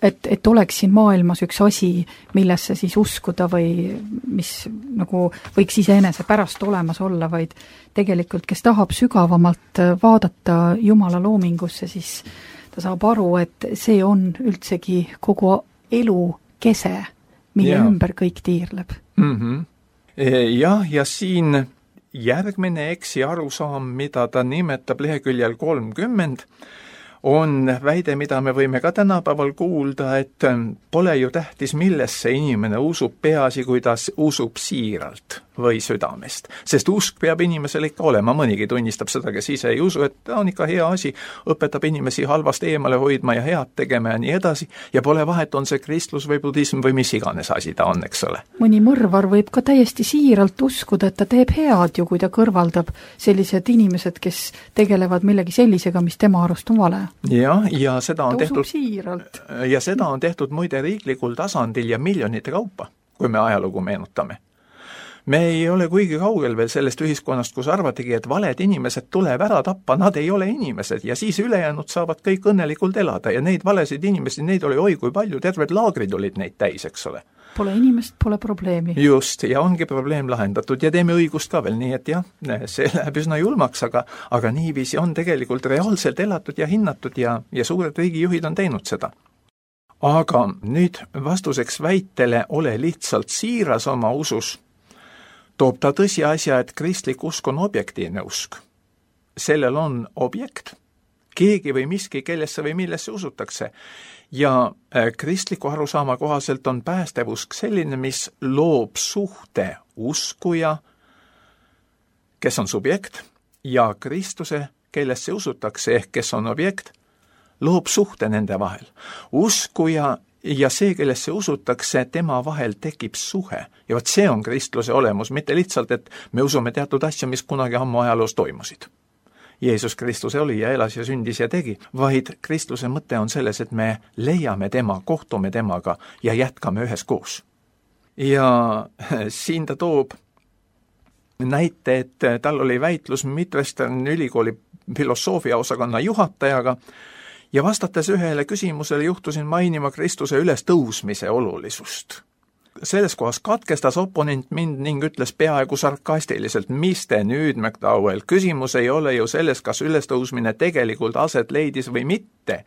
et, et oleks siin maailmas üks asi, millesse siis uskuda või mis nagu võiks iseenese pärast olemas olla, vaid tegelikult, kes tahab sügavamalt vaadata Jumala loomingusse, siis ta saab aru, et see on üldsegi kogu elu kese, mille ja. ümber kõik tiirleb. Mm-hmm. Jah, ja siin järgmine eksi arusaam, mida ta nimetab leheküljel kolmkümmend, on väide, mida me võime ka tänapäeval kuulda, et pole ju tähtis, millesse inimene usub, peaasi, kui ta usub siiralt või südamest. Sest usk peab inimesel ikka olema, mõnigi tunnistab seda, kes ise ei usu, et ta on ikka hea asi, õpetab inimesi halvast eemale hoidma ja head tegema ja nii edasi, ja pole vahet, on see kristlus või budism või mis iganes asi ta on, eks ole. Mõni mõrvar võib ka täiesti siiralt uskuda, et ta teeb head ju, kui ta kõrvaldab sellised inimesed, kes tegelevad millegi sellisega, mis tema arust on vale. Ja, ja seda on ta tehtud siiralt. Ja seda on tehtud muide riiklikul tasandil ja miljonite kaupa, kui me ajalugu meenutame. Me ei ole kuigi kaugel veel sellest ühiskonnast, kus arvatigi, et valed inimesed tuleb ära tappa, nad ei ole inimesed ja siis ülejäänud saavad kõik õnnelikult elada ja neid valesid inimesi, neid oli oi kui palju, terved laagrid olid neid täis, eks ole. Pole inimest, pole probleemi. Just, ja ongi probleem lahendatud ja teeme õigust ka veel, nii et jah, see läheb üsna julmaks, aga, aga niiviisi on tegelikult reaalselt elatud ja hinnatud ja, ja suured riigijuhid on teinud seda. Aga nüüd vastuseks väitele ole lihtsalt siiras oma usus, toob ta tõsiasja, et kristlik usk on objektiivne usk. Sellel on objekt, keegi või miski, kellesse või millesse usutakse. Ja kristliku arusaama kohaselt on päästevusk selline, mis loob suhte uskuja, kes on subjekt, ja Kristuse, kellesse usutakse, ehk kes on objekt, loob suhte nende vahel. Uskuja ja see, kellesse usutakse, tema vahel tekib suhe. Ja võt see on kristluse olemus, mitte lihtsalt, et me usume teatud asja, mis kunagi ammu ajaloos toimusid. Jeesus Kristus oli ja elas ja sündis ja tegi, vaid kristluse mõte on selles, et me leiame tema, kohtume temaga ja jätkame üheskoos. Ja siin ta toob näite, et tal oli väitlus Midwestern ülikooli filosoofia osakonna juhatajaga ja vastates ühele küsimusele juhtusin mainima Kristuse üles tõusmise olulisust. Selles kohas katkestas oponent mind ning ütles peaaegu sarkastiliselt, mis te nüüd, McDowell, küsimus ei ole ju selles, kas ülestõusmine tegelikult aset leidis või mitte,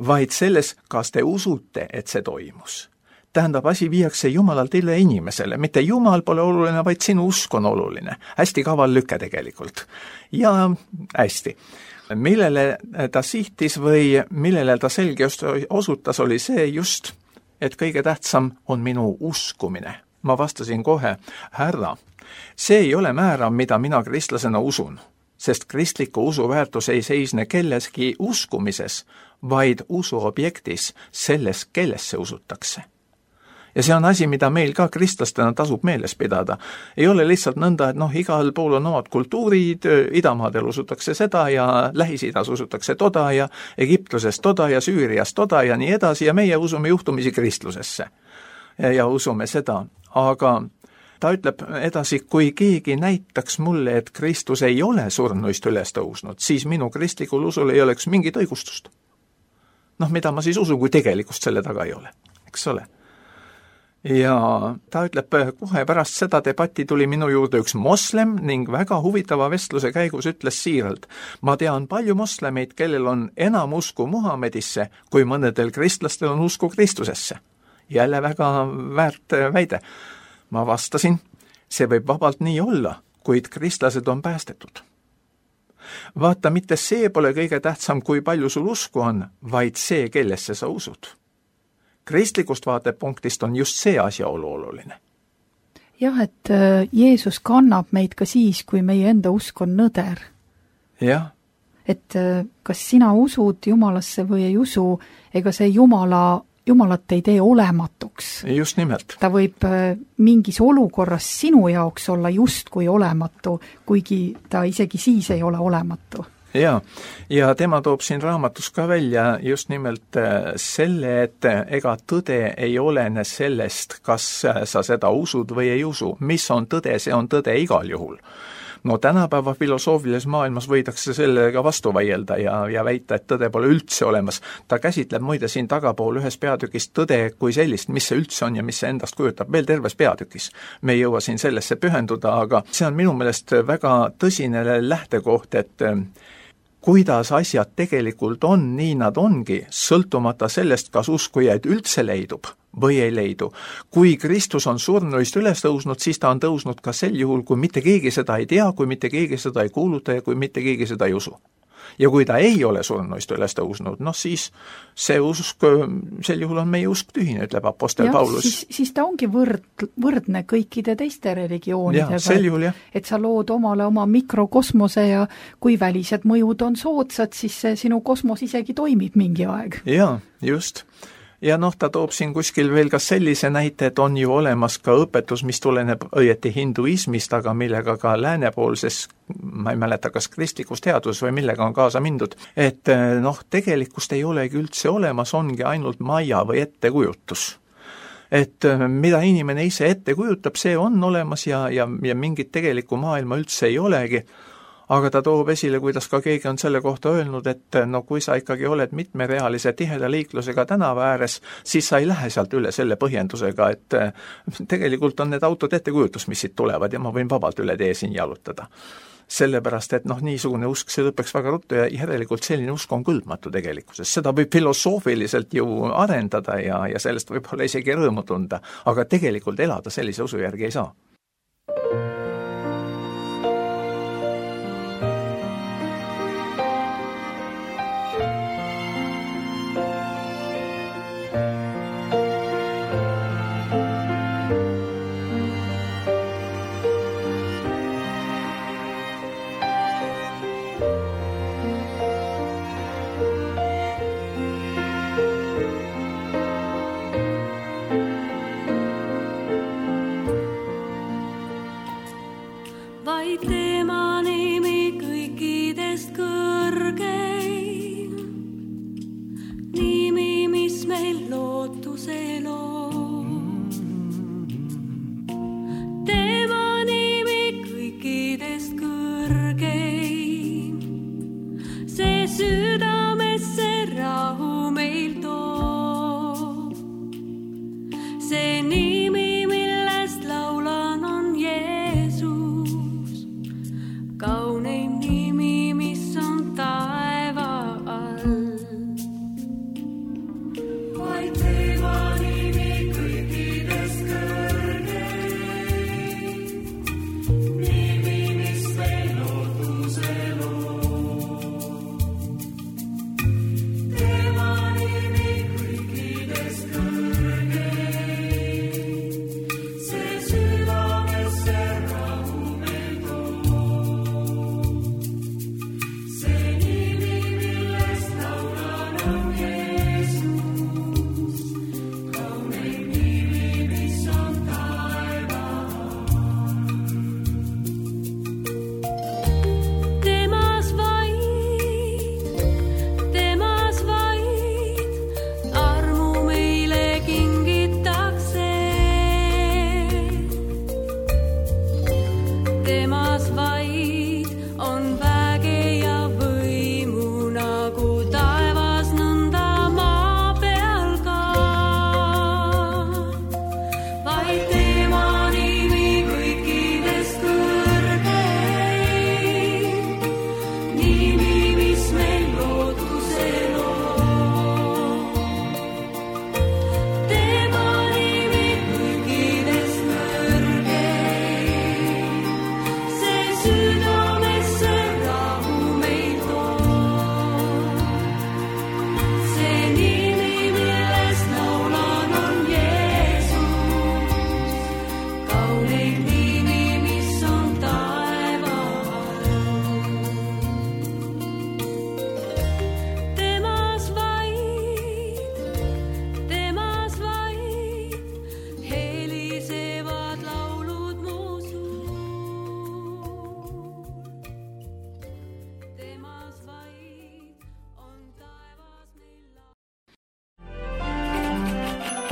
vaid selles, kas te usute, et see toimus. Tähendab, asi viiakse Jumalalt üle inimesele, mitte Jumal pole oluline, vaid sinu usk on oluline. Hästi kaval lüke tegelikult. Ja hästi. Millele ta sihtis või millele ta selge osutas, oli see just, et kõige tähtsam on minu uskumine. Ma vastasin kohe, härra, see ei ole määrav, mida mina kristlasena usun, sest kristliku usu väärtus ei seisne kelleski uskumises, vaid usu objektis, selles, kellesse usutakse. Ja see on asi, mida meil ka kristlastena tasub meeles pidada. Ei ole lihtsalt nõnda, et noh, igal pool on omad kultuurid, idamaadel usutakse seda ja Lähis-Idas usutakse toda ja Egiptuses toda ja Süürias toda ja nii edasi ja meie usume juhtumisi kristlusesse. Ja, ja usume seda, aga ta ütleb edasi, kui keegi näitaks mulle, et Kristus ei ole surnuist üles tõusnud, siis minu kristlikul usul ei oleks mingit õigustust. Noh, mida ma siis usun, kui tegelikkust selle taga ei ole, eks ole. Ja ta ütleb, kohe pärast seda debatti tuli minu juurde üks moslem ning väga huvitava vestluse käigus ütles siiralt, ma tean palju moslemeid, kellel on enam usku Muhamedisse, kui mõnedel kristlastel on usku Kristusesse. Jälle väga väärt väide. Ma vastasin, see võib vabalt nii olla, kuid kristlased on päästetud. Vaata, mitte see pole kõige tähtsam, kui palju sul usku on, vaid see, kellesse sa usud. Kristlikust vaatepunktist on just see asjaolu oluline. Jah, et Jeesus kannab meid ka siis, kui meie enda usk on nõder. Jah. Et kas sina usud Jumalasse või ei usu, ega see Jumala, Jumalat ei tee olematuks. Just nimelt. Ta võib mingis olukorras sinu jaoks olla just kui olematu, kuigi ta isegi siis ei ole olematu. Ja, ja tema toob siin raamatus ka välja just nimelt selle, et ega tõde ei olene sellest, kas sa seda usud või ei usu. Mis on tõde, see on tõde igal juhul. no tänapäeva filosoofilises maailmas võidakse sellega vastu vaielda ja, ja väita, et tõde pole üldse olemas. Ta käsitleb muide siin tagapool ühes peatükis tõde kui sellist, mis see üldse on ja mis see endast kujutab, veel terves peatükis. Me ei jõua siin sellesse pühenduda, aga see on minu meelest väga tõsine lähtekoht, et kuidas asjad tegelikult on, nii nad ongi, sõltumata sellest, kas uskujaid üldse leidub või ei leidu. Kui Kristus on surnuist üles tõusnud, siis ta on tõusnud ka sel juhul, kui mitte keegi seda ei tea, kui mitte keegi seda ei kuuluta ja kui mitte keegi seda ei usu. Ja kui ta ei ole surnuist üles tõusnud, noh siis see usk, sel juhul on meie usk tühine, ütleb apostel ja, Paulus. Siis, siis ta ongi võrd, võrdne kõikide teiste religioonidega, ja, sel juhul, jah. Et sa lood omale oma mikrokosmose ja kui välised mõjud on soodsad, siis see sinu kosmos isegi toimib mingi aeg. Jaa, just. Ja noh, ta toob siin kuskil veel ka sellise näite, et on ju olemas ka õpetus, mis tuleneb õieti hinduismist, aga millega ka läänepoolses, ma ei mäleta, kas kristlikus teaduses või millega on kaasa mindud, et noh, tegelikkust ei olegi üldse olemas, ongi ainult maja või ettekujutus. Et mida inimene ise ette kujutab, see on olemas ja, ja, ja mingit tegelikku maailma üldse ei olegi. Aga ta toob esile, kuidas ka keegi on selle kohta öelnud, et no kui sa ikkagi oled mitmerealise tiheda liiklusega tänava ääres, siis sa ei lähe sealt üle selle põhjendusega, et tegelikult on need autod ettekujutus, mis siit tulevad ja ma võin vabalt üle tee siin jalutada. Sellepärast, et noh, niisugune usk, see lõpeks väga ruttu ja järelikult selline usk on kõlbmatu tegelikkuses. Seda võib filosoofiliselt ju arendada ja, ja sellest võib-olla isegi rõõmu tunda, aga tegelikult elada sellise usu järgi ei saa.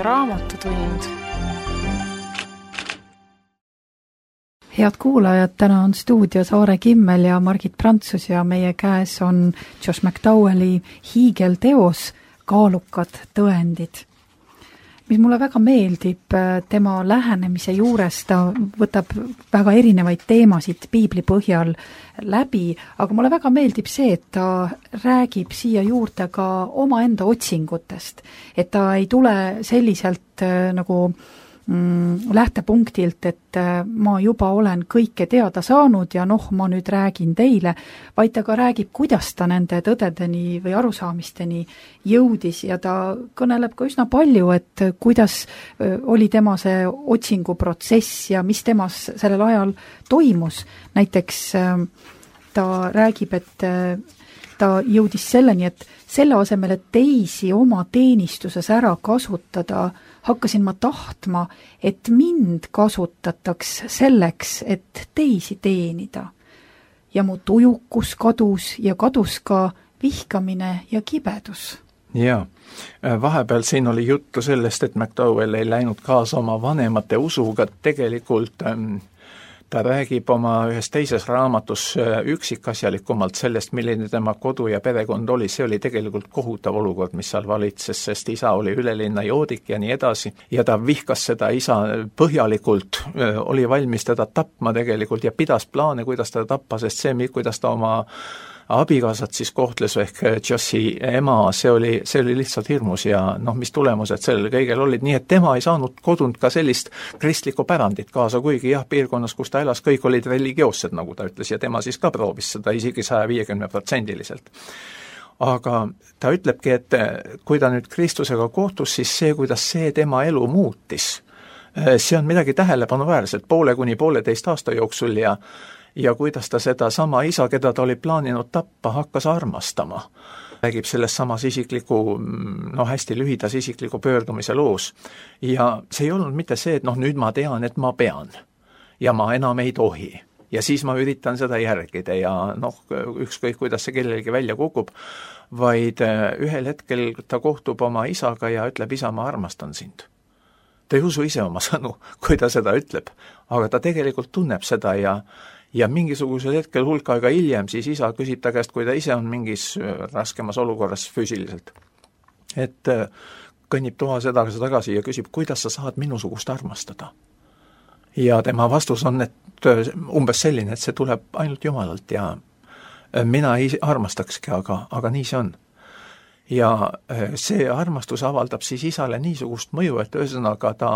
Raamatutund. Head kuulajad, täna on stuudios Aare Kimmel ja Margit Prantsus ja meie käes on Josh McDowelli hiigelteos Kaalukad tõendid. Mis mulle väga meeldib tema lähenemise juures, ta võtab väga erinevaid teemasid piibli põhjal läbi, aga mulle väga meeldib see, et ta räägib siia juurde ka omaenda otsingutest, et ta ei tule selliselt nagu mm, lähtepunktilt, et ma juba olen kõike teada saanud ja noh, ma nüüd räägin teile, vaid ta ka räägib, kuidas ta nende tõdedeni või arusaamisteni jõudis ja ta kõneleb ka üsna palju, et kuidas oli tema see otsinguprotsess ja mis temas sellel ajal toimus. Näiteks ta räägib, et ta jõudis selleni, et selle asemel, et teisi oma teenistuses ära kasutada, hakkasin ma tahtma, et mind kasutataks selleks, et teisi teenida. Ja mu tujukus kadus ja kadus ka vihkamine ja kibedus. Jaa, vahepeal siin oli juttu sellest, et McDowell ei läinud kaasa oma vanemate usuga, tegelikult ähm, ta räägib oma ühes teises raamatus üksikasjalikumalt sellest, milline tema kodu ja perekond oli. See oli tegelikult kohutav olukord, mis seal valitses, sest isa oli ülelinna joodik ja nii edasi. Ja ta vihkas seda isa põhjalikult, oli valmis teda tapma tegelikult ja pidas plaane, kuidas teda tappa, sest see, kuidas ta oma abikaasat siis kohtles ehk Joshi ema, see oli, see oli lihtsalt hirmus ja noh, mis tulemused sellel kõigel olid, nii et tema ei saanud kodunt ka sellist kristlikku pärandit kaasa, kuigi jah, piirkonnas, kus ta elas, kõik olid religioossed, nagu ta ütles, ja tema siis ka proovis seda isegi saja viiekümne protsendiliselt. Aga ta ütlebki, et kui ta nüüd Kristusega kohtus, siis see, kuidas see tema elu muutis, see on midagi tähelepanuväärset poole kuni pooleteist aasta jooksul ja ja kuidas ta seda sama isa, keda ta oli plaaninud tappa, hakkas armastama. Räägib selles samas isikliku, no hästi lühidas isikliku pöördumise loos. Ja see ei olnud mitte see, et noh, nüüd ma tean, et ma pean ja ma enam ei tohi. Ja siis ma üritan seda järgida ja noh, ükskõik kuidas see kellelgi välja kukub, vaid ühel hetkel ta kohtub oma isaga ja ütleb, isa, ma armastan sind. Ta ei usu ise oma sõnu, kui ta seda ütleb, aga ta tegelikult tunneb seda ja Ja mingisugusel hetkel hulk aega hiljem siis isa küsib ta käest, kui ta ise on mingis raskemas olukorras füüsiliselt. Et kõnnib toa sedasi tagasi ja küsib, kuidas sa saad minusugust armastada. Ja tema vastus on, et umbes selline, et see tuleb ainult Jumalalt ja mina ei armastakski, aga, aga nii see on. Ja see armastus avaldab siis isale niisugust mõju, et ühesõnaga ta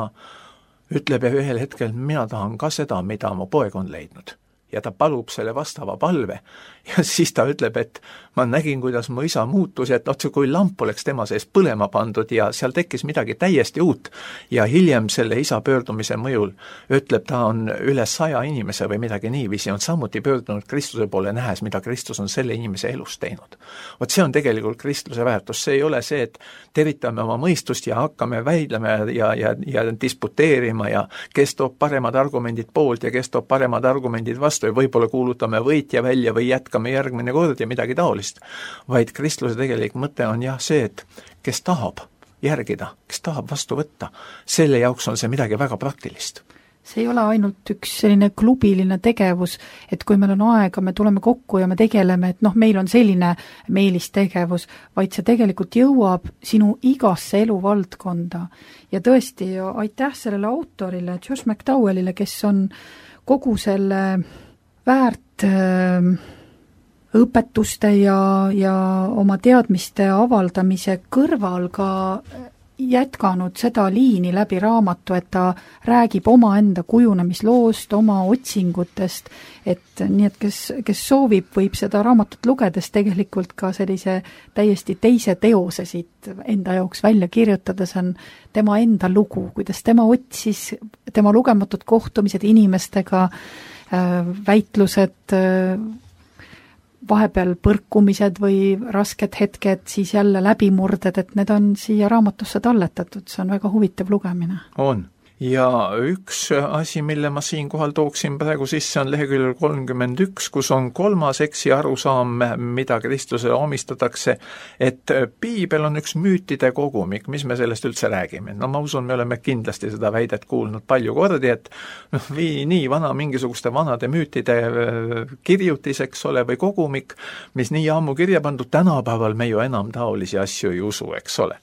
ütleb ja ühel hetkel, mina tahan ka seda, mida mu poeg on leidnud. Ja ta palub selle vastava palve ja siis ta ütleb, et ma nägin, kuidas mu isa muutus, et otse kui lamp oleks tema sees põlema pandud ja seal tekkis midagi täiesti uut ja hiljem selle isa pöördumise mõjul ütleb, ta on üle saja inimese või midagi niiviisi, on samuti pöördunud Kristuse poole nähes, mida Kristus on selle inimese elus teinud. Vot see on tegelikult kristluse väärtus, see ei ole see, et teritame oma mõistust ja hakkame väidlema ja, ja, ja disputeerima ja kes toob paremad argumendid poolt ja kes toob paremad argumendid vastu ja võib-olla kuulutame võitja välja või jätkame järgmine kord ja midagi taolist. Vaid kristluse tegelik mõte on jah see, et kes tahab järgida, kes tahab vastu võtta, selle jaoks on see midagi väga praktilist. See ei ole ainult üks selline klubiline tegevus, et kui meil on aega, me tuleme kokku ja me tegeleme, et noh, meil on selline meelistegevus, vaid see tegelikult jõuab sinu igasse eluvaldkonda. Ja tõesti, aitäh sellele autorile, Josh McDowellile, kes on kogu selle väärt äh, õpetuste ja, ja oma teadmiste avaldamise kõrval ka jätkanud seda liini läbi raamatu, et ta räägib omaenda kujunemisloost, oma otsingutest, et nii, et kes, kes soovib, võib seda raamatut lugedes tegelikult ka sellise täiesti teise teose siit enda jaoks välja kirjutada, see on tema enda lugu, kuidas tema otsis, tema lugematud kohtumised inimestega, väitlused, vahepeal põrkumised või rasked hetked, siis jälle läbimurded, et need on siia raamatusse talletatud, see on väga huvitav lugemine. On. ja üks asi, mille ma siinkohal tooksin praegu sisse, on leheküljel kolmkümmend üks, kus on kolmas eksi arusaam, mida kristlusele omistatakse, et piibel on üks müütide kogumik, mis me sellest üldse räägime. No ma usun, me oleme kindlasti seda väidet kuulnud palju kordi, et noh, nii vana mingisuguste vanade müütide kirjutis, eks ole, või kogumik, mis nii ammu kirja pandud, tänapäeval me ju enam taolisi asju ei usu, eks ole.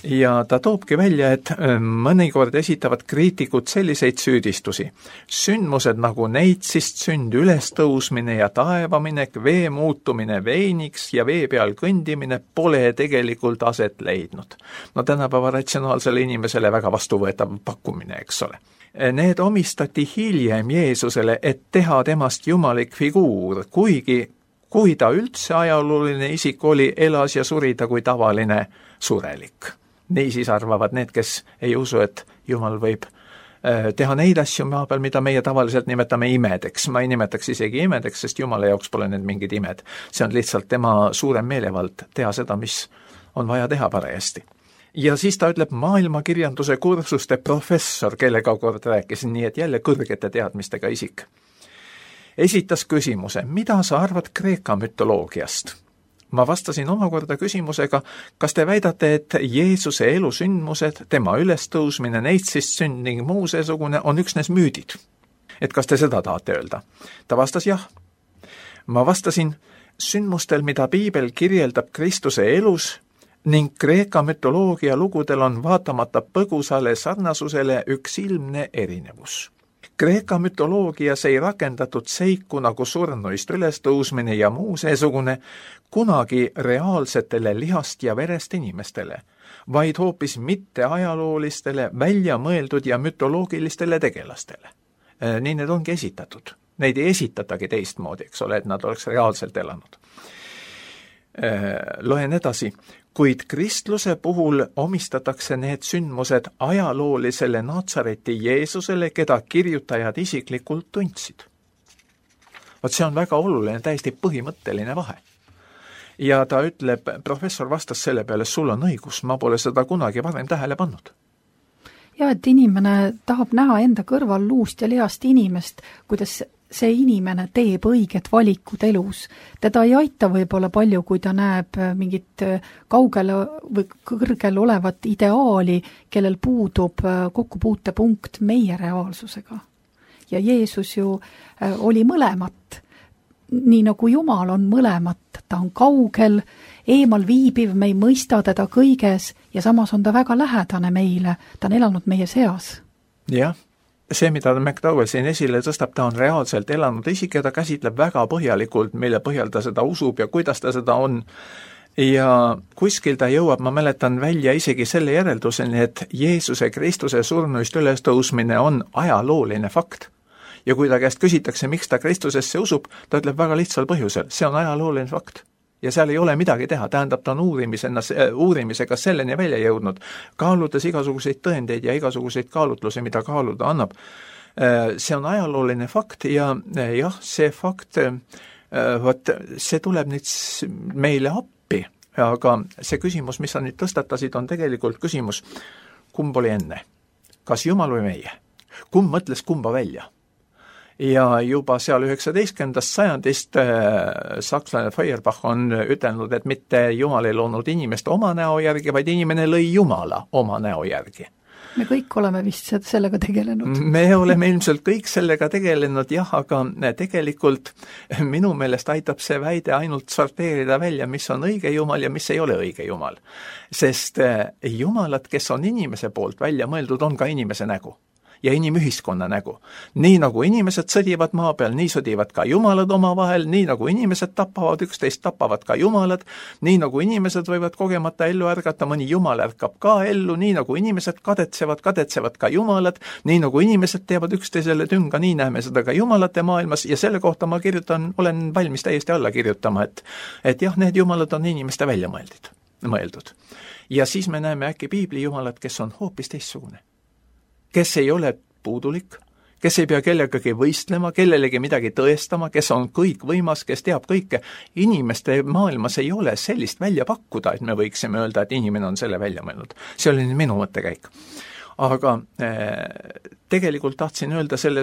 Ja ta toobki välja, et mõnikord esitavad kriitikud selliseid süüdistusi. Sündmused nagu neitsist sünd, ülestõusmine ja taevaminek, vee muutumine veiniks ja vee peal kõndimine pole tegelikult aset leidnud. No tänapäeva ratsionaalsele inimesele väga vastuvõetav pakkumine, eks ole. Need omistati hiljem Jeesusele, et teha temast jumalik figuur, kuigi kui ta üldse ajalooline isik oli, elas ja suri ta kui tavaline surelik. Niisiis arvavad need, kes ei usu, et Jumal võib teha neid asju maa peal, mida meie tavaliselt nimetame imedeks. Ma ei nimetaks isegi imedeks, sest Jumala jaoks pole need mingid imed. See on lihtsalt tema suurem meelevald teha seda, mis on vaja teha parajasti. Ja siis ta ütleb maailmakirjanduse kursuste professor, kellega kord rääkisin, nii et jälle kõrgete teadmistega isik. Esitas küsimuse, mida sa arvad Kreeka mütoloogiast? Ma vastasin omakorda küsimusega, kas te väidate, et Jeesuse elusündmused, tema ülestõusmine, neitsist sünd ning muu seesugune on üksnes müüdid. Et kas te seda tahate öelda? Ta vastas jah. Ma vastasin, sündmustel, mida piibel kirjeldab Kristuse elus ning Kreeka mütoloogia lugudel on vaatamata põgusale sarnasusele üks ilmne erinevus. Kreeka mütoloogias ei rakendatud seiku nagu surnuist ülestõusmine ja muu seesugune kunagi reaalsetele lihast ja verest inimestele, vaid hoopis mitte ajaloolistele, välja mõeldud ja mütoloogilistele tegelastele. Nii need ongi esitatud. Neid ei esitatagi teistmoodi, eks ole, et nad oleks reaalselt elanud. Loen edasi. Kuid kristluse puhul omistatakse need sündmused ajaloolisele Natsareti Jeesusele, keda kirjutajad isiklikult tundsid. Vot see on väga oluline, täiesti põhimõtteline vahe. Ja ta ütleb, professor vastas selle peale, sul on õigus, ma pole seda kunagi varem tähele pannud. Ja, et inimene tahab näha enda kõrval luust ja lihast inimest, kuidas see inimene teeb õiged valikud elus. Teda ei aita võib-olla palju, kui ta näeb mingit kaugel või kõrgel olevat ideaali, kellel puudub kokkupuutepunkt meie reaalsusega. Ja Jeesus ju oli mõlemat. Nii nagu Jumal on mõlemat, ta on kaugel, eemal viibiv, me ei mõista teda kõiges ja samas on ta väga lähedane meile, ta on elanud meie seas. Jah. See, mida McDowell siin esile tõstab, ta on reaalselt elanud isik ja ta käsitleb väga põhjalikult, mille põhjal ta seda usub ja kuidas ta seda on. Ja kuskil ta jõuab, ma mäletan välja isegi selle järelduseni, et Jeesuse Kristuse surnuist ülestõusmine on ajalooline fakt. Ja kui ta käest küsitakse, miks ta Kristusesse usub, ta ütleb väga lihtsal põhjusel, see on ajalooline fakt. Ja seal ei ole midagi teha, tähendab, ta on uurimisena, uurimisega selleni välja jõudnud, kaaludes igasuguseid tõendeid ja igasuguseid kaalutlusi, mida kaaluda annab. See on ajalooline fakt ja jah, see fakt, võt, see tuleb nüüd meile appi, aga see küsimus, mis sa nüüd tõstatasid, on tegelikult küsimus, kumb oli enne? Kas Jumal või meie? Kumb mõtles kumba välja? Ja juba seal üheksateistkümnendast sajandist äh, sakslane Feuerbach on ütelnud, et mitte Jumal ei loonud inimest oma näo järgi, vaid inimene lõi Jumala oma näo järgi. Me kõik oleme vist sellega tegelenud. Me oleme ilmselt kõik sellega tegelenud, jah, aga tegelikult minu meelest aitab see väide ainult sorteerida välja, mis on õige Jumal ja mis ei ole õige Jumal. Sest Jumalad, kes on inimese poolt välja mõeldud, on ka inimese nägu. Ja inimühiskonna nägu. Nii nagu inimesed sõdivad maa peal, nii sõdivad ka jumalad oma vahel, nii nagu inimesed tapavad üksteist, tapavad ka jumalad, nii nagu inimesed võivad kogemata ellu ärgata, mõni jumal ärkab ka ellu, nii nagu inimesed kadetsevad, kadetsevad ka jumalad, nii nagu inimesed teevad üksteisele tünga, nii näeme seda ka jumalate maailmas ja selle kohta ma kirjutan, olen valmis täiesti alla kirjutama, et, et jah, need jumalad on inimeste välja mõeldud, mõeldud. Ja siis me näeme äkki piibli jumalad, kes on hoopis teistsugune. Kes ei ole puudulik, kes ei pea kellegagi võistlema, kellelegi midagi tõestama, kes on kõik võimas, kes teab kõike. Inimeste maailmas ei ole sellist välja pakkuda, et me võiksime öelda, et inimene on selle välja mõelnud. See oli minu mõttekäik. aga tegelikult tahtsin öelda selle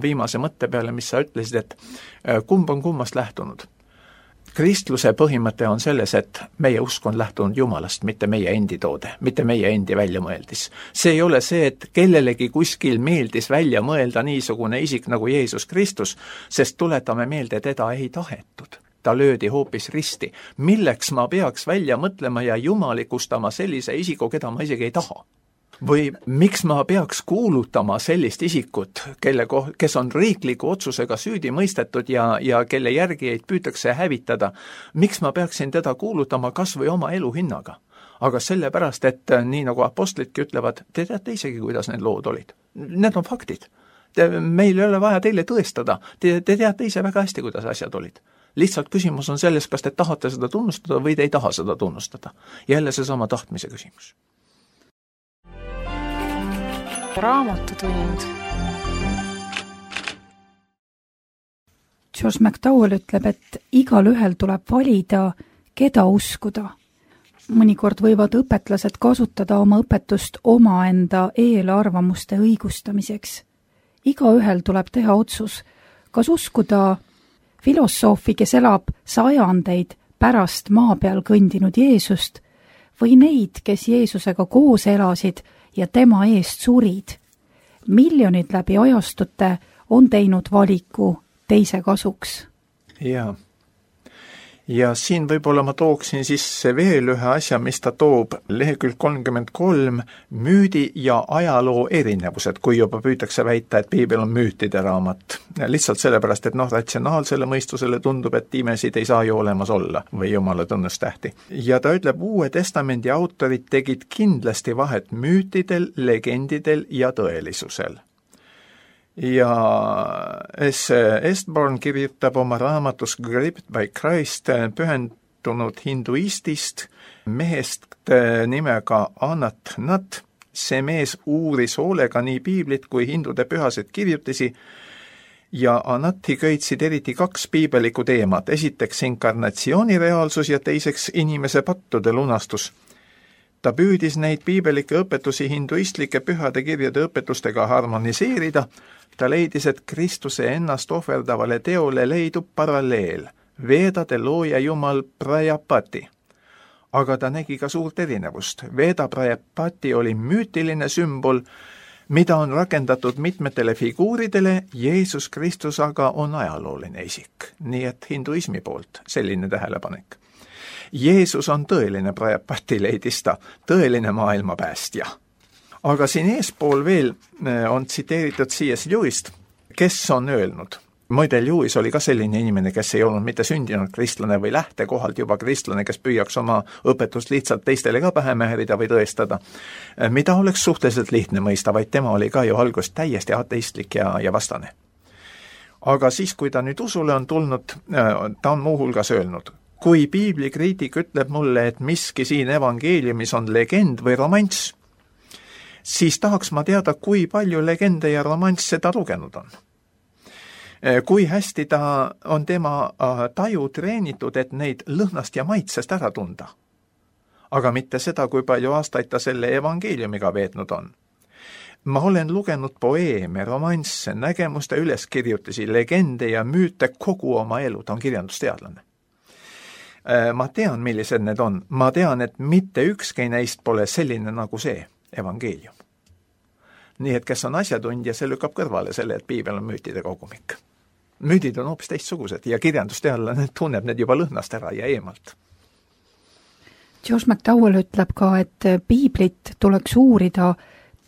viimase mõtte peale, mis sa ütlesid, et kumb on kummast lähtunud. Kristluse põhimõte on selles, et meie usk on lähtunud Jumalast, mitte meie endi toode, mitte meie endi väljamõeldis. See ei ole see, et kellelegi kuskil meeldis välja mõelda niisugune isik nagu Jeesus Kristus, sest tuletame meelde, teda ei tahetud. Ta löödi hoopis risti. Milleks ma peaks välja mõtlema ja jumalikustama sellise isiku, keda ma isegi ei taha? Või miks ma peaks kuulutama sellist isikut, kelle koh-, kes on riikliku otsusega süüdi mõistetud ja, ja kelle järgijaid püütakse hävitada, miks ma peaksin teda kuulutama kas või oma elu hinnaga? Aga sellepärast, et nii nagu apostlidki ütlevad, te teate isegi, kuidas need lood olid. Need on faktid. Te, meil ei ole vaja teile tõestada. Te, te teate ise väga hästi, kuidas asjad olid. Lihtsalt küsimus on selles, kas te tahate seda tunnustada või te ei taha seda tunnustada. Jälle seesama tahtmise küsimus. Raamatutund. George McDowell ütleb, et igal ühel tuleb valida, keda uskuda. Mõnikord võivad õpetlased kasutada oma õpetust omaenda eelarvamuste õigustamiseks. Iga ühel tuleb teha otsus, kas uskuda filosoofi, kes elab sajandeid pärast maa peal kõndinud Jeesust, või neid, kes Jeesusega koos elasid ja tema eest surid. Miljonid läbi ajastute on teinud valiku teise kasuks. Jaa. Ja siin võib-olla ma tooksin sisse veel ühe asja, mis ta toob lehekülg kolmkümmend kolm, müüdi ja ajaloo erinevused, kui juba püütakse väita, et piibel on müütide raamat. Lihtsalt sellepärast, et noh, ratsionaalsele mõistusele tundub, et imesid ei saa ju olemas olla või jumala tunnustähti. Ja ta ütleb, Uue Testamendi autorid tegid kindlasti vahet müütidel, legendidel ja tõelisusel. Ja S. Estborn kirjutab oma raamatus Gripped by Christ pühendunud hinduistist mehest nimega Anat Nat. See mees uuris hoolega nii piiblit kui hindude pühasid kirjutisi ja Anati köitsid eriti kaks piibeliku teemat. Esiteks inkarnatsiooni reaalsus ja teiseks inimese pattude lunastus. Ta püüdis neid piibelikke õpetusi hinduistlike pühade kirjade õpetustega harmoniseerida. Ta leidis, et Kristuse ennast ohverdavale teole leidub paralleel, Veedade looja jumal Prajapati. Aga ta nägi ka suurt erinevust. Veda Prajapati oli müütiline sümbol, mida on rakendatud mitmetele figuuridele, Jeesus Kristus aga on ajalooline isik. Nii et hinduismi poolt selline tähelepanek. Jeesus on tõeline Prajapati, leidis ta, tõeline maailmapäästja. Aga siin eespool veel on tsiteeritud C S Lewist, kes on öelnud. Muide, Lewis oli ka selline inimene, kes ei olnud mitte sündinud kristlane või lähtekohalt juba kristlane, kes püüaks oma õpetust lihtsalt teistele ka pähe määrida või tõestada, mida oleks suhteliselt lihtne mõista, vaid tema oli ka ju algust täiesti ateistlik ja, ja vastane. Aga siis, kui ta nüüd usule on tulnud, ta on muuhulgas öelnud, kui piiblikriitik ütleb mulle, et miski siin evangeeliumis on legend või romanss, siis tahaks ma teada, kui palju legende ja romansse ta lugenud on. Kui hästi ta on tema taju treenitud, et neid lõhnast ja maitsest ära tunda. Aga mitte seda, kui palju aastaid ta selle evangeeliumiga veetnud on. Ma olen lugenud poeeme, romansse, nägemuste üleskirjutisi, legende ja müüte kogu oma elu, ta on kirjandusteadlane. Ma tean, millised need on. Ma tean, et mitte ükski neist pole selline nagu see evangeelium. Nii et kes on asjatundja, see lükkab kõrvale selle, et piibel on müütide kogumik. Müüdid on hoopis teistsugused ja kirjandusteadlane tunneb need juba lõhnast ära ja eemalt. George McDowell ütleb ka, et piiblit tuleks uurida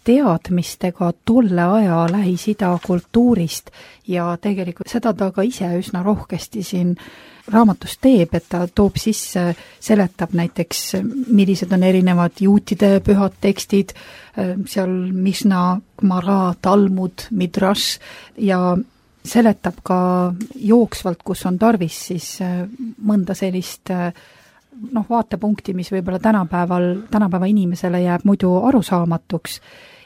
teadmistega tolle aja Lähis-Ida kultuurist ja tegelikult seda ta ka ise üsna rohkesti siin raamatus teeb, et ta toob sisse, seletab näiteks, millised on erinevad juutide pühad tekstid, seal Misna, Gemara, Talmud, Midrash ja seletab ka jooksvalt, kus on tarvis siis mõnda sellist noh, vaatepunkti, mis võib-olla tänapäeval, tänapäeva inimesele jääb muidu arusaamatuks.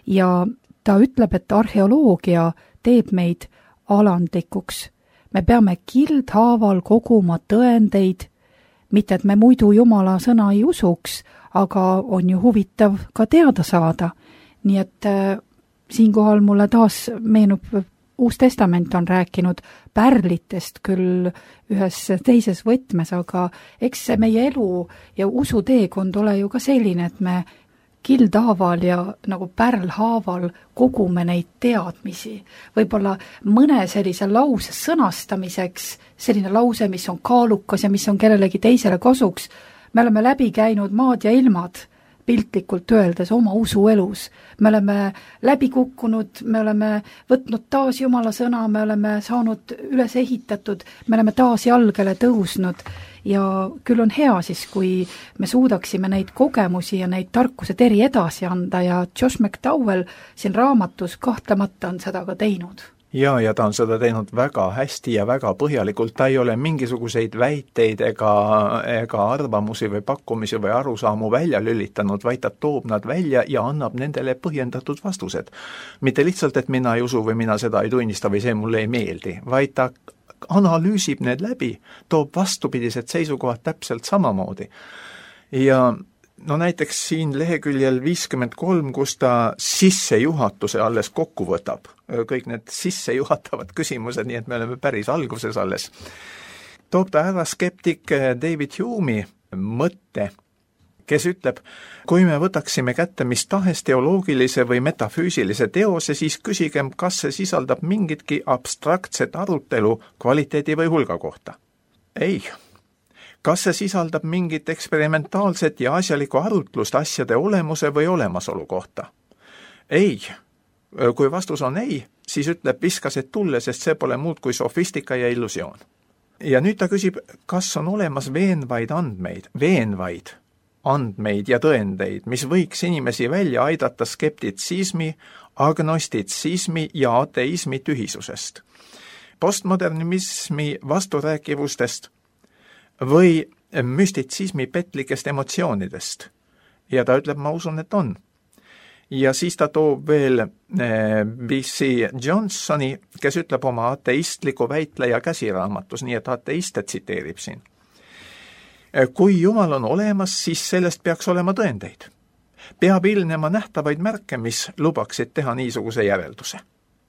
Ja ta ütleb, et arheoloogia teeb meid alandlikuks. Me peame kildhaaval koguma tõendeid, mitte et me muidu Jumala sõna ei usuks, aga on ju huvitav ka teada saada, nii et äh, siinkohal mulle taas meenub, Uus Testament on rääkinud pärlitest küll ühes teises võtmes, aga eks see meie elu ja usuteekond ole ju ka selline, et me kildhaaval ja nagu pärlhaaval kogume neid teadmisi. Võib-olla mõne sellise lause sõnastamiseks, selline lause, mis on kaalukas ja mis on kellelegi teisele kasuks, me oleme läbi käinud maad ja ilmad, piltlikult öeldes oma usuelus. Me oleme läbi kukkunud, me oleme võtnud taas Jumala sõna, me oleme saanud üles ehitatud, me oleme taas jalgele tõusnud ja küll on hea siis, kui me suudaksime neid kogemusi ja neid tarkused eri edasi anda ja Josh McDowell siin raamatus kahtlemata on seda ka teinud. Ja, ja ta on seda teinud väga hästi ja väga põhjalikult, ta ei ole mingisuguseid väiteid ega, ega arvamusi või pakkumisi või arusaamu välja lülitanud, vaid ta toob nad välja ja annab nendele põhjendatud vastused. Mitte lihtsalt, et mina ei usu või mina seda ei tunnista või see mulle ei meeldi, vaid ta analüüsib need läbi, toob vastupidised seisukohad täpselt samamoodi. Ja no näiteks siin leheküljel viiskümmend kolm, kus ta sissejuhatuse alles kokku võtab, kõik need sissejuhatavad küsimused, nii et me oleme päris alguses alles, toob ta ära skeptik David Hume'i mõtte, kes ütleb, kui me võtaksime kätte mis tahes teoloogilise või metafüüsilise teose, siis küsigem, kas see sisaldab mingitki abstraktset arutelu kvaliteedi või hulga kohta. Ei. Kas see sisaldab mingit eksperimentaalset ja asjalikku arutlust asjade olemuse või olemasolu kohta? Ei. Kui vastus on ei, siis ütleb viskased tulle, sest see pole muud kui sofistika ja illusioon. Ja nüüd ta küsib, kas on olemas veenvaid andmeid, veenvaid andmeid ja tõendeid, mis võiks inimesi välja aidata skeptitsismi, agnostitsismi ja ateismi tühisusest, postmodernismi vasturääkivustest või müstitsismi petlikest emotsioonidest. Ja ta ütleb, ma usun, et on. Ja siis ta toob veel B C Johnsoni, kes ütleb oma ateistliku väitleja käsiraamatus, nii et ateiste tsiteerib siin. Kui Jumal on olemas, siis sellest peaks olema tõendeid. Peab ilnema nähtavaid märke, mis lubaksid teha niisuguse järelduse.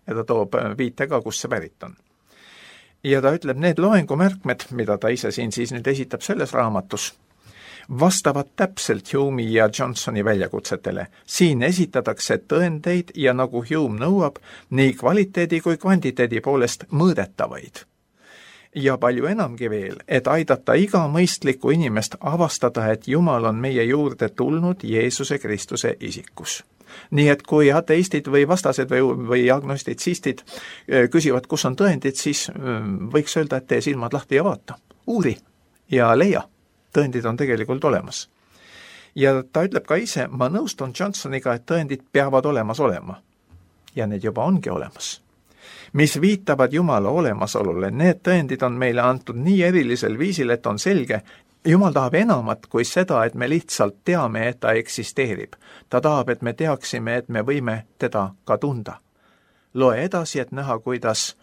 Ja ta toob viite ka, kus see pärit on. Ja ta ütleb, need loengumärkmed, mida ta ise siin siis nüüd esitab selles raamatus, vastavad täpselt Hume'i ja Johnsoni väljakutsetele. Siin esitatakse tõendeid ja nagu Hume nõuab, nii kvaliteedi kui kvantiteedi poolest mõõdetavaid. Ja palju enamgi veel, et aidata iga mõistlikku inimest avastada, et Jumal on meie juurde tulnud Jeesuse Kristuse isikus. Nii et kui ateistid või vastased või, või agnostitsistid küsivad, kus on tõendid, siis võiks öelda, et tee silmad lahti ja vaata. Uuri ja leia. Tõendid on tegelikult olemas. Ja ta ütleb ka ise, ma nõustun Johnsoniga, et tõendid peavad olemas olema. Ja need juba ongi olemas. Mis viitavad Jumala olemasolule, need tõendid on meile antud nii erilisel viisil, et on selge, Jumal tahab enamat kui seda, et me lihtsalt teame, et ta eksisteerib. Ta tahab, et me teaksime, et me võime teda ka tunda. Loe edasi, et näha, kuidas,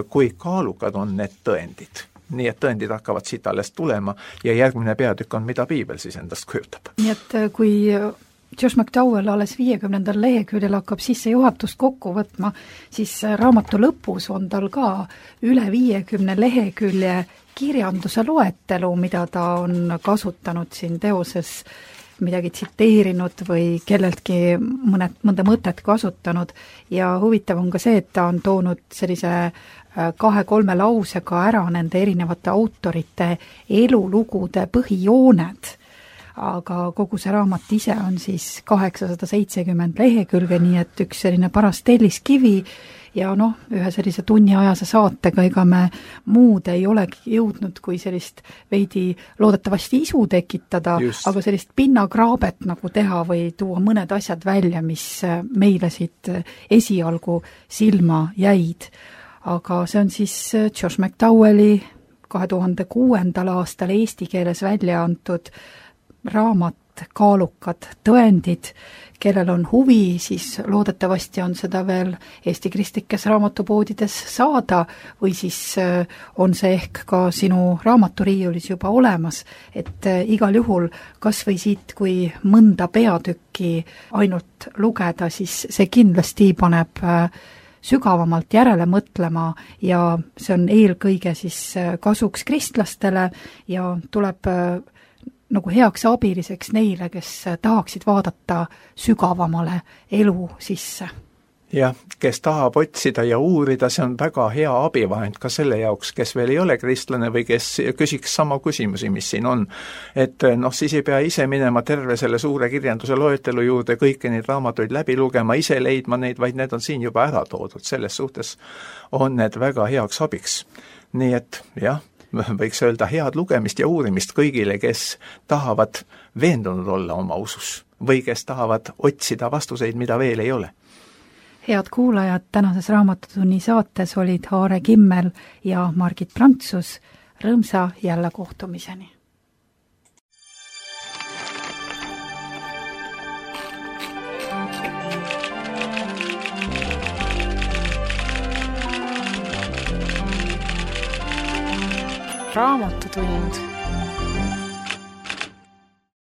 kui kaalukad on need tõendid. Nii et tõendid hakkavad siit alles tulema ja järgmine peatükk on, mida Piibel siis endast kujutab. Nii et kui Josh McDowell alles viiekümnendal leheküljel hakkab sissejuhatust kokku võtma, siis raamatu lõpus on tal ka üle viiekümne lehekülje kirjanduse loetelu, mida ta on kasutanud siin teoses, midagi tsiteerinud või kelleltki mõned, mõnda mõtet kasutanud ja huvitav on ka see, et ta on toonud sellise kahe-kolme lausega ära nende erinevate autorite elulugude põhijooned. Aga kogu see raamat ise on siis kaheksasada seitsekümmend lehekülge, nii et üks selline paras telliskivi ja noh, ühe sellise tunniajase saatega ega me muud ei olegi jõudnud kui sellist veidi loodetavasti isu tekitada, Just. aga sellist pinnakraabet nagu teha või tuua mõned asjad välja, mis meile siit esialgu silma jäid. Aga see on siis Josh McDowelli kahe tuhande kuuendal aastal eesti keeles välja antud raamat sellised kaalukad tõendid. Kellel on huvi, siis loodetavasti on seda veel Eesti kristlikes raamatupoodides saada või siis on see ehk ka sinu raamaturiiulis juba olemas, et igal juhul kas või siit, kui mõnda peatükki ainult lugeda, siis see kindlasti paneb sügavamalt järele mõtlema ja see on eelkõige siis kasuks kristlastele ja tuleb nagu heaks abiliseks neile, kes tahaksid vaadata sügavamale elu sisse. Jah, kes tahab otsida ja uurida, see on väga hea abivahend ka selle jaoks, kes veel ei ole kristlane või kes küsiks sama küsimusi, mis siin on. Et noh, siis ei pea ise minema terve selle suure kirjanduse loetelu juurde, kõiki neid raamatuid läbi lugema, ise leidma neid, vaid need on siin juba ära toodud. Selles suhtes on need väga heaks abiks. Nii et jah, võiks öelda head lugemist ja uurimist kõigile, kes tahavad veendunud olla oma usus või kes tahavad otsida vastuseid, mida veel ei ole. Head kuulajad, tänases Raamatutunni saates olid Aare Kimmel ja Margit Prantsus. Rõõmsa jälle kohtumiseni! Raamatutund